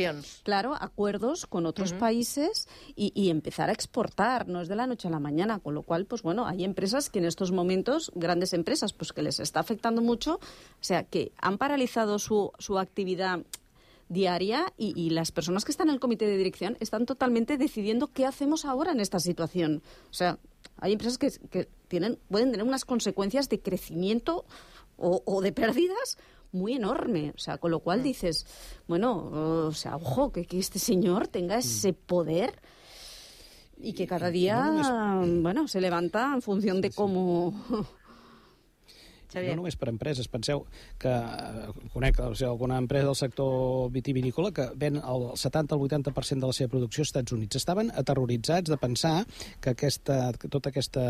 claro, a acuerdos con otros países y empezar a exportar. No es de la noche a la mañana, con lo cual, pues bueno, hay empresas que en estos momentos, grandes empresas, pues que les está afectando mucho, o sea, que han paralizado su actividad diaria y las personas que están en el comité de dirección están totalmente decidiendo qué hacemos ahora en esta situación. O sea, hay empresas que pueden tener unas consecuencias de crecimiento o de pérdidas muy enorme, o sea, con lo cual dices, bueno, o sea, ojo, que este señor tenga ese poder y que cada día, bueno, se levanta en función de cómo... no només per empreses. Penseu que conec alguna empresa del sector vitivinícola que ven el 70 al 80% de la seva producció als Estats Units. Estaven aterroritzats de pensar que tota aquesta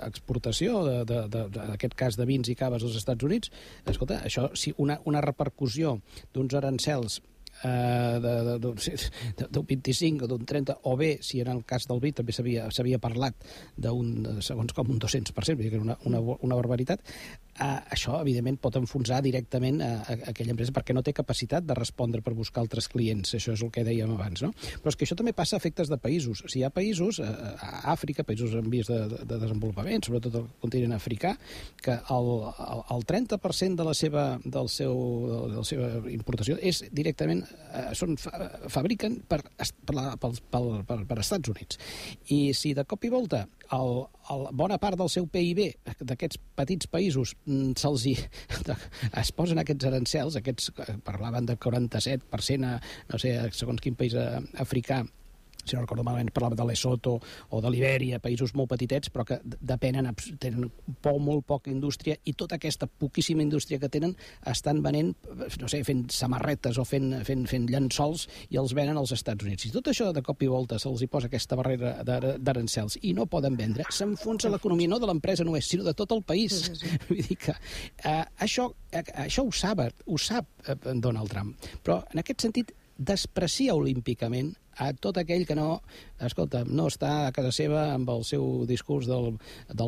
exportació, en aquest cas de vins i caves als Estats Units, escolta, això, si una repercussió d'uns arancels d'un 25 o d'un 30, o bé, si en el cas del vi també s'havia parlat segons com un 200%, que era una barbaritat, això, evidentment, pot enfonsar directament aquella empresa perquè no té capacitat de respondre per buscar altres clients. Això és el que dèiem abans, no? Però és que això també passa a efectes de països. Si hi ha països, a Àfrica, països en vies de desenvolupament, sobretot el continent africà, que el 30% de la seva importació és directament fabriquen per Estats Units. I si de cop i volta bona part del seu PIB d'aquests petits països es posen aquests arancels, parlaven de 47% no sé, segons quin país africà, si no recordo malament, parlava de Lesotho o de Libèria, països molt petitets, però que tenen molt poca indústria, i tota aquesta poquíssima indústria que tenen estan venent, no sé, fent samarretes o fent llençols i els venen als Estats Units. Si tot això de cop i volta se'ls hi posa aquesta barrera d'arancels i no poden vendre, s'enfonsa l'economia no de l'empresa només, sinó de tot el país. Vull dir que això ho sap Donald Trump, però en aquest sentit desprecia olímpicament a tot aquell que no està a casa seva amb el seu discurs del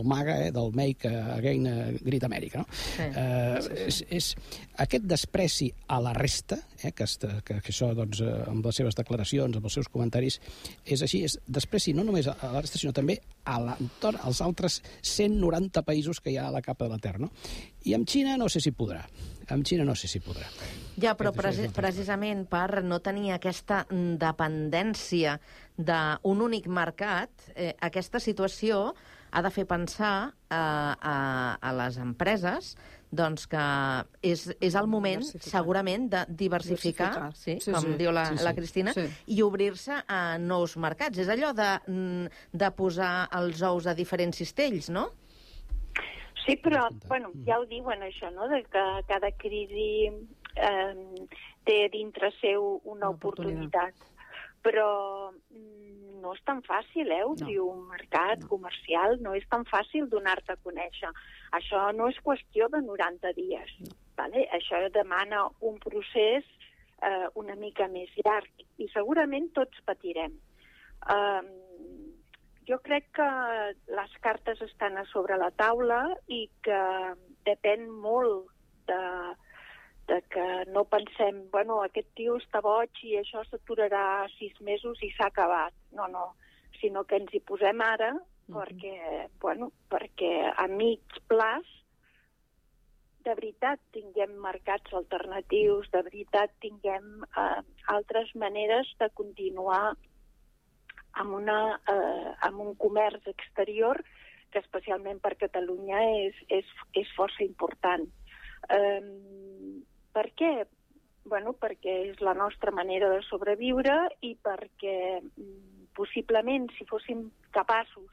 MAGA, del Make Again Great America. És aquest despreci a la resta, que això, amb les seves declaracions, amb els seus comentaris, és així, és despreci no només a la resta, sinó també a l'entorn, als altres 190 països que hi ha a la capa de la Terra. I amb Xina no sé si podrà. Ja, però precisament per no tenir aquesta dependència d'un únic mercat, aquesta situació ha de fer pensar a les empreses doncs que és el moment, segurament, de diversificar, com diu la Cristina, i obrir-se a nous mercats. És allò de posar els ous a diferents cistells, no? Sí, però, ja ho diuen, això, no?, de que cada crisi té dintre seu una oportunitat. Però no és tan fàcil, obrir un mercat comercial, no és tan fàcil donar-te a conèixer. Això no és qüestió de 90 dies. Això demana un procés una mica més llarg i segurament tots patirem. Jo crec que les cartes estan a sobre la taula i que depèn molt de que no pensem, aquest tio està boig i això s'aturarà 6 mesos i s'ha acabat. No, sinó que ens hi posem ara perquè a mig plaç de veritat tinguem mercats alternatius, de veritat tinguem altres maneres de continuar amb un comerç exterior que especialment per Catalunya és força important. Per què? Perquè és la nostra manera de sobreviure i perquè possiblement si fóssim capaços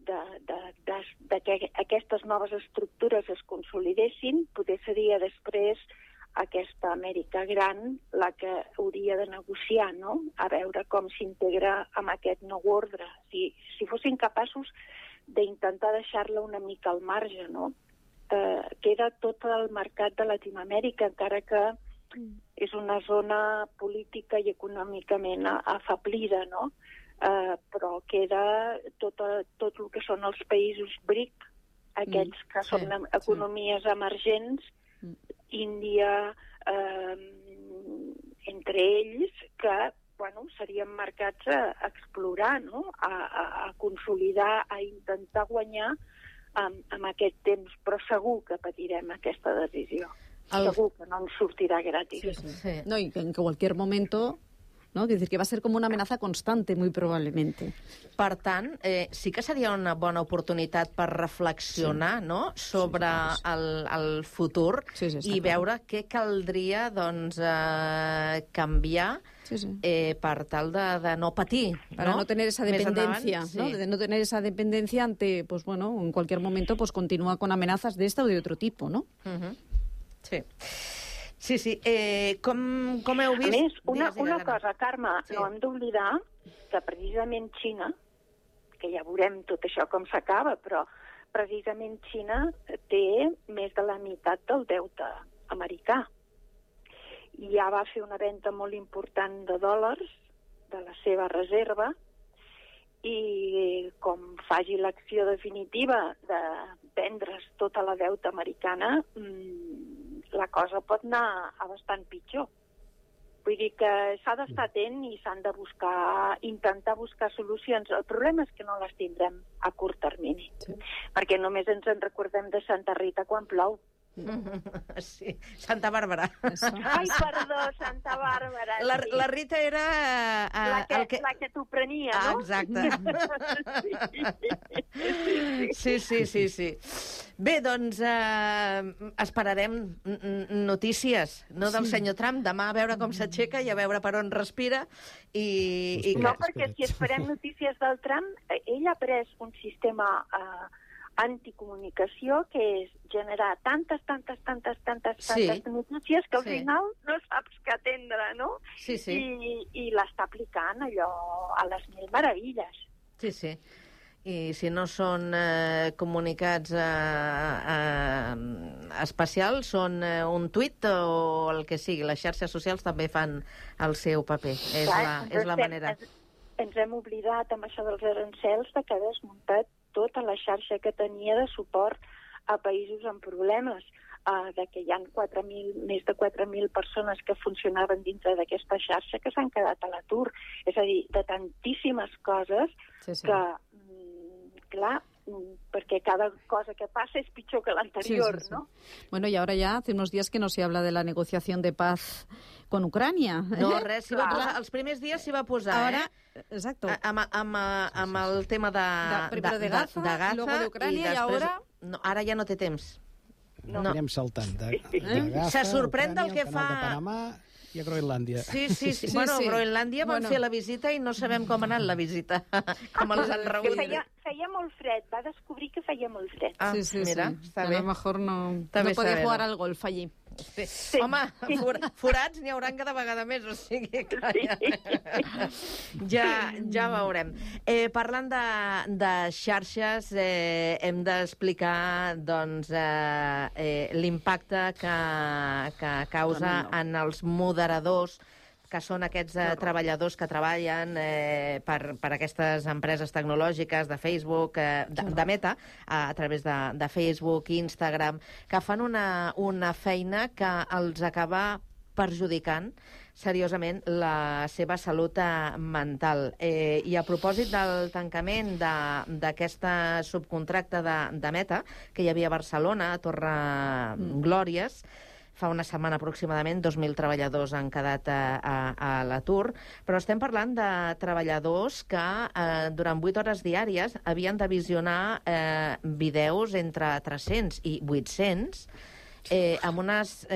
de que aquestes noves estructures es consolidessin, potser seria després aquesta Amèrica gran la que hauria de negociar, no?, a veure com s'integra amb aquest nou ordre. Si fossin capaços d'intentar deixar-la una mica al marge, no? Queda tot el mercat de Latinoamèrica, encara que és una zona política i econòmicament afeblida, no? Però queda tot el que són els països BRIC, aquells que són economies emergents, Índia, entre ells, que serien mercats a explorar, no?, a consolidar, a intentar guanyar amb aquest temps, però segur que patirem aquesta decisió. Segur que no ens sortirà gratis. No, y que en cualquier momento ¿no? Es decir, que va a ser como una amenaza constante, muy probablemente. Per tant, sí que seria una bona oportunitat per reflexionar, no?, sobre el futur i veure què caldria, doncs, canviar per tal de no patir, para no tener esa dependencia, Més ¿no? endavant, De no tener esa dependencia ante, pues bueno, en cualquier momento pues continúa con amenazas de esta o de otro tipo, ¿no? Sí. Sí, sí. Com heu vist... A més, una cosa, Carme, no hem d'oblidar que precisament Xina, que ja veurem tot això com s'acaba, però precisament Xina té més de la meitat del deute americà. I ja va fer una venda molt important de dòlars de la seva reserva i com faci l'acció definitiva de vendre's tota la deuta americana, la cosa pot anar a bastant pitjor. Vull dir que s'ha d'estar atent i s'han de intentar buscar solucions. El problema és que no les tindrem a curt termini, perquè només ens en recordem de Santa Rita quan plou. Sí, Santa Bàrbara. Ai, perdó, Santa Bàrbara. La Rita era... La que t'ho prenia, no? Exacte. Sí. Bé, doncs esperarem notícies, no del senyor Trump, demà a veure com s'aixeca i a veure per on respira. No, perquè si esperem notícies del Trump, ell ha pres un sistema anticomunicació que és generar tantes notícies que al final no saps què atendre, no? Sí. I l'està aplicant allò a les mil meravelles. Sí. I si no són comunicats especials, són un tuit o el que sigui. Les xarxes socials també fan el seu paper. És la manera. Ens hem oblidat amb això dels arancels de que ha desmuntat tota la xarxa que tenia de suport a països amb problemes, de que hi ha més de 4.000 persones que funcionaven dintre d'aquesta xarxa que s'han quedat a l'atur. És a dir, de tantíssimes coses que, clar, perquè cada cosa que passa és pitjor que l'anterior, ¿no? Bueno, y ahora ya hace unos días que no se habla de la negociación de paz con Ucrània. No, res, els primers dies s'hi va posar, ahora, exacto. Amb el tema de Gaza, luego de Ucrània, i ahora... No, ara ja no té temps. No. Anirem saltant de Gaza, se sorprèn del que fa... de Panamà i a Groenlàndia. Sí. Bueno, a Groenlàndia van fer la visita i no sabem com ha anat la visita. Com els han rebut. Feia molt fred, va descobrir que feia molt fred. Mira, està bé. A lo mejor no podía jugar al golf allí. Sí. Home, forats n'hi hauran cada vegada més, o sigui que ja veurem. Parlant de xarxes, hem d'explicar doncs, l'impacte que causa en els moderadors, que són aquests treballadors que treballen per aquestes empreses tecnològiques de Facebook, de Meta, a través de Facebook, Instagram, que fan una feina que els acaba perjudicant seriosament la seva salut mental. I a propòsit del tancament d'aquesta subcontracta de Meta, que hi havia a Barcelona, a Torre Glòries, fa una setmana aproximadament 2.000 treballadors han quedat a l'atur, però estem parlant de treballadors que durant 8 hores diàries havien de visionar vídeos entre 300 i 800 amb unes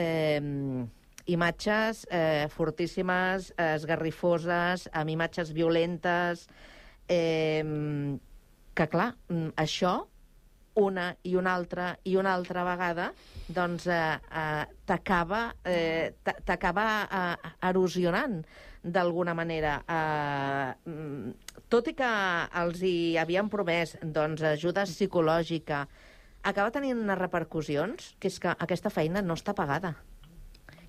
imatges fortíssimes, esgarrifoses, amb imatges violentes, que clar, això una i una altra vegada, doncs t'acaba erosionant d'alguna manera. Tot i que els hi havien promès doncs, ajuda psicològica, acaba tenint unes repercussions, que és que aquesta feina no està pagada.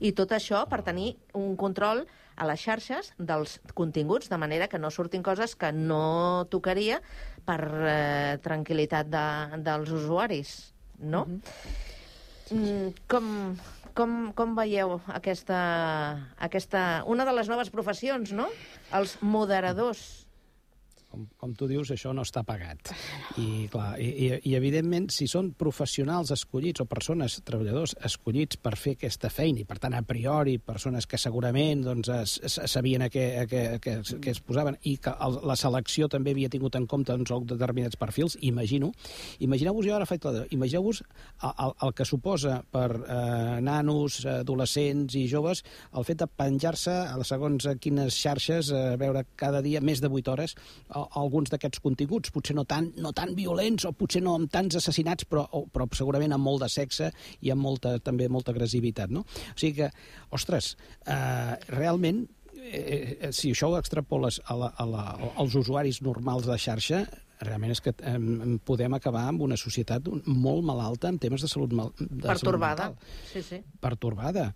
I tot això per tenir un control a les xarxes dels continguts, de manera que no surtin coses que no tocaria per tranquil·litat dels usuaris, no? Com veieu aquesta... Una de les noves professions, no? Els moderadors. com tu dius, això no està pagat. I, clar, i evidentment, si són professionals escollits o persones, treballadors escollits per fer aquesta feina, i per tant, a priori, persones que segurament doncs, sabien a què es posaven, i que la selecció també havia tingut en compte determinats perfils, imagineu-vos, jo ara faig imagineu-vos el que suposa per nanos, adolescents i joves el fet de penjar-se a segons quines xarxes, veure cada dia més de 8 hores alguns d'aquests continguts, potser no tan violents o potser no amb tants assassinats, però segurament amb molt de sexe i amb també molta agressivitat, no? O sigui que, ostres, realment, si això ho extrapoles als usuaris normals de xarxa, realment és que podem acabar amb una societat molt malalta en temes de salut mental. Pertorbada. Sí. Pertorbada,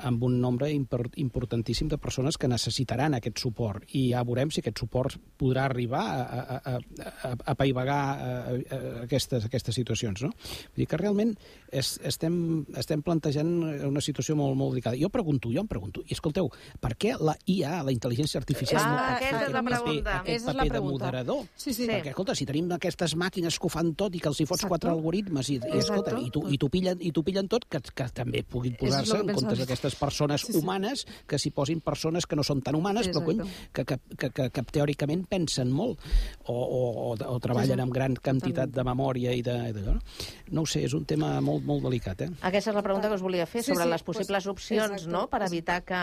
amb un nombre importantíssim de persones que necessitaran aquest suport. I ja veurem si aquest suport podrà arribar a apaivagar aquestes situacions, no? Vull dir que realment estem plantejant una situació molt, molt delicada. Jo em pregunto, i escolteu, per què la IA, la intel·ligència artificial, no pot fer aquest paper de moderador? Sí. Perquè, escolta, si tenim aquestes màquines que ho fan tot i que els hi fots 4 algoritmes i t'ho pillen tot, que també puguin posar-se en comptes d'aquestes persones humanes, que s'hi posin persones que no són tan humanes, però que teòricament pensen molt o treballen amb gran quantitat de memòria i d'allò. No ho sé, és un tema molt, molt delicat. Aquesta és la pregunta que us volia fer sobre les possibles opcions, no?, per evitar que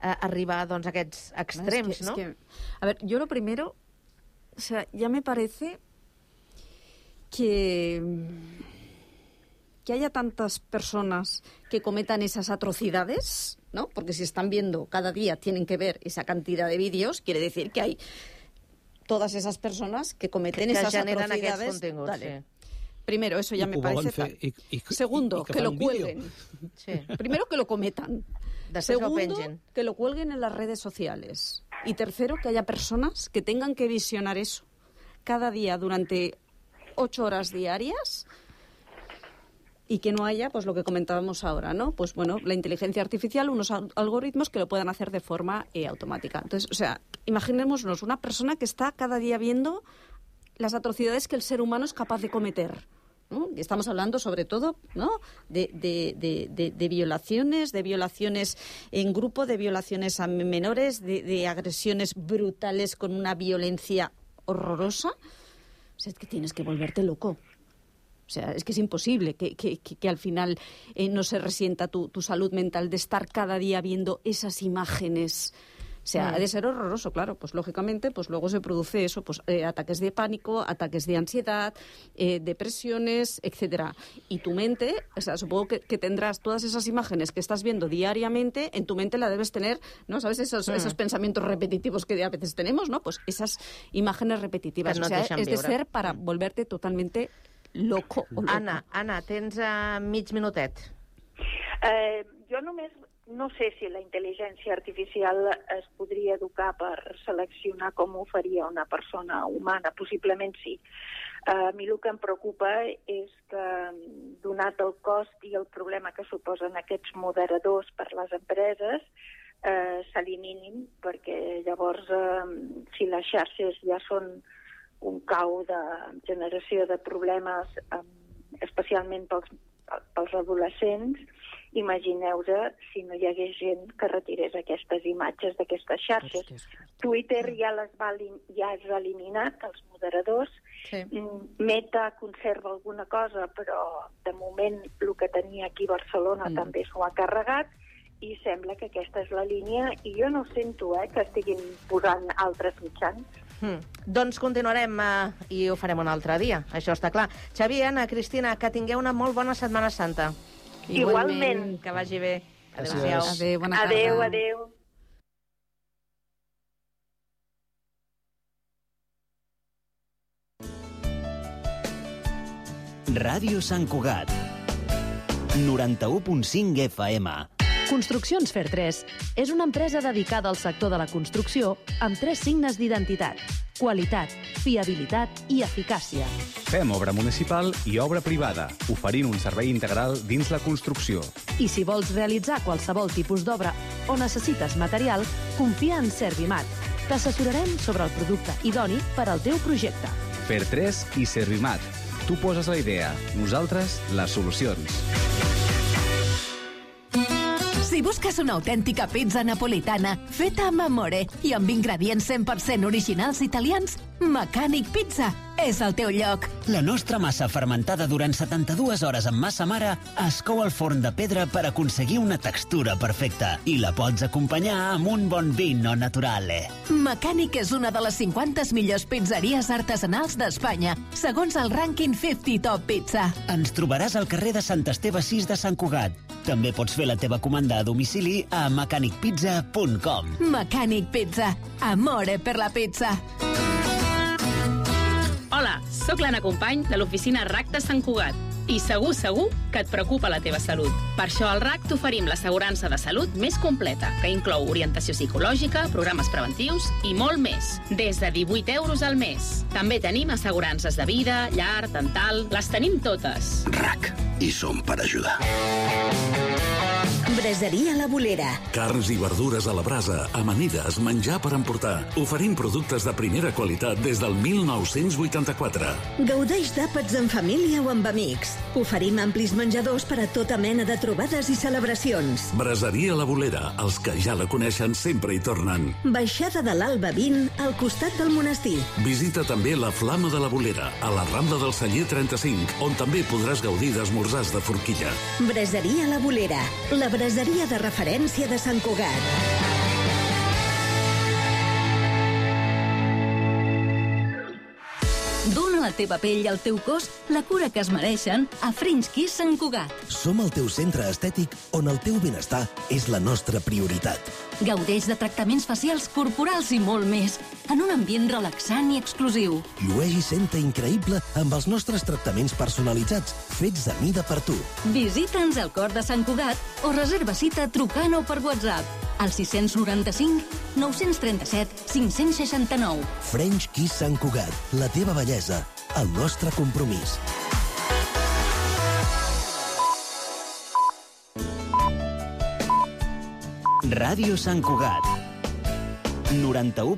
arribar a aquests extrems, ¿no? A ver, yo lo primero, o sea, ya me parece que haya tantas personas que cometan esas atrocidades, ¿no? Porque si están viendo cada día, tienen que ver esa cantidad de vídeos, quiere decir que hay todas esas personas que cometen esas atrocidades. Vale. Primero, eso ya me parece... Segundo, que lo cuelguen. Primero, que lo cometan. Segundo, que lo cuelguen en las redes sociales. Y tercero, que haya personas que tengan que visionar eso cada día durante 8 horas diarias y que no haya, pues lo que comentábamos ahora, ¿no? Pues bueno, la inteligencia artificial, unos algoritmos que lo puedan hacer de forma automática. Entonces, o sea, imaginémonos una persona que está cada día viendo las atrocidades que el ser humano es capaz de cometer, ¿no? Y estamos hablando sobre todo, ¿no?, de violaciones en grupo, de violaciones a menores, de agresiones brutales con una violencia horrorosa. O sea, es que tienes que volverte loco. O sea, es que es imposible que al final no se resienta tu salud mental de estar cada día viendo esas imágenes. O sea, ha de ser horroroso, claro. Pues lógicamente, pues luego se produce eso, pues ataques de pánico, ataques de ansiedad, depresiones, etcétera. Y tu mente, o sea, supongo que tendrás todas esas imágenes que estás viendo diariamente, en tu mente la debes tener, ¿no? ¿Sabes? Esos pensamientos repetitivos que a veces tenemos, ¿no? Pues esas imágenes repetitivas. No, o sea, es de ser para volverte totalmente loco o loco. Anna, tens mig minutet. Jo només no sé si la intel·ligència artificial es podria educar per seleccionar com ho faria una persona humana. Possiblement sí. A mi el que em preocupa és que, donat el cost i el problema que suposen aquests moderadors per les empreses, s'eliminin, perquè llavors, si les xarxes ja són un cau de generació de problemes, especialment pels adolescents, imagineu-vos si no hi hagués gent que retirés aquestes imatges d'aquestes xarxes. Twitter ja has eliminat, els moderadors. Meta conserva alguna cosa, però de moment el que tenia aquí a Barcelona també s'ho ha carregat i sembla que aquesta és la línia i jo no sento que estiguin posant altres mitjans. Doncs continuarem i ho farem un altre dia, això està clar. Xavi, Anna, Cristina, que tingueu una molt bona Setmana Santa. Igualment. Que vagi bé. Adéu-siau. Adéu, bona tarda. Adéu. Ràdio Sant Cugat 91.5 FM. Construccions Fer3 és una empresa dedicada al sector de la construcció amb 3 signes d'identitat: qualitat, fiabilitat i eficàcia. Fem obra municipal i obra privada, oferint un servei integral dins la construcció. I si vols realitzar qualsevol tipus d'obra o necessites material, confia en Servimat. T'assessorarem sobre el producte idoni per al teu projecte. Fer3 i Servimat. Tu poses la idea, nosaltres les solucions. Si busques una autèntica pizza napolitana feta amb amore i amb ingredients 100% originals italians, Mecànic Pizza és el teu lloc. La nostra massa fermentada durant 72 hores amb massa mare es cou al forn de pedra per aconseguir una textura perfecta i la pots acompanyar amb un bon vino naturale. Mecànic és una de les 50 millors pizzeries artesanals d'Espanya, segons el rànquing 50 Top Pizza. Ens trobaràs al carrer de Sant Esteve 6 de Sant Cugat. També pots fer la teva comanda a domicili a mecanicpizza.com. Mecànic Pizza. Amore per la pizza. Hola, sóc l'Anna Company de l'oficina RAC de Sant Cugat i segur que et preocupa la teva salut. Per això al RAC t'oferim l'assegurança de salut més completa, que inclou orientació psicològica, programes preventius i molt més, des de 18 euros al mes. També tenim assegurances de vida, llar, dental, les tenim totes. RAC, hi som per ajudar. Braseria La Bolera. Carns i verdures a la brasa, amanides, menjar per emportar. Oferim productes de primera qualitat des del 1984. Gaudeix d'àpats en família o amb amics. Oferim amplis menjadors per a tota mena de trobades i celebracions. Braseria La Bolera, els que ja la coneixen sempre hi tornen. Baixada de l'Alba 20, al costat del monestir. Visita també la Flama de la Bolera, a la Rambla del Celler 35, on també podràs gaudir d'esmorzars de forquilla. Braseria La Bolera, la braseria de referència de Sant Cugat. Dóna a la teva pell i al teu cos la cura que es mereixen a French Kiss Sant Cugat. Som el teu centre estètic on el teu benestar és la nostra prioritat. Gaudeix de tractaments facials, corporals i molt més, en un ambient relaxant i exclusiu. Llueix i senta increïble amb els nostres tractaments personalitzats, fets a mida per tu. Visita'ns al cor de Sant Cugat o reserva cita trucant o per WhatsApp al 695 937 569. French Kiss Sant Cugat, la teva bellesa, el nostre compromís. Ràdio Sant Cugat 91.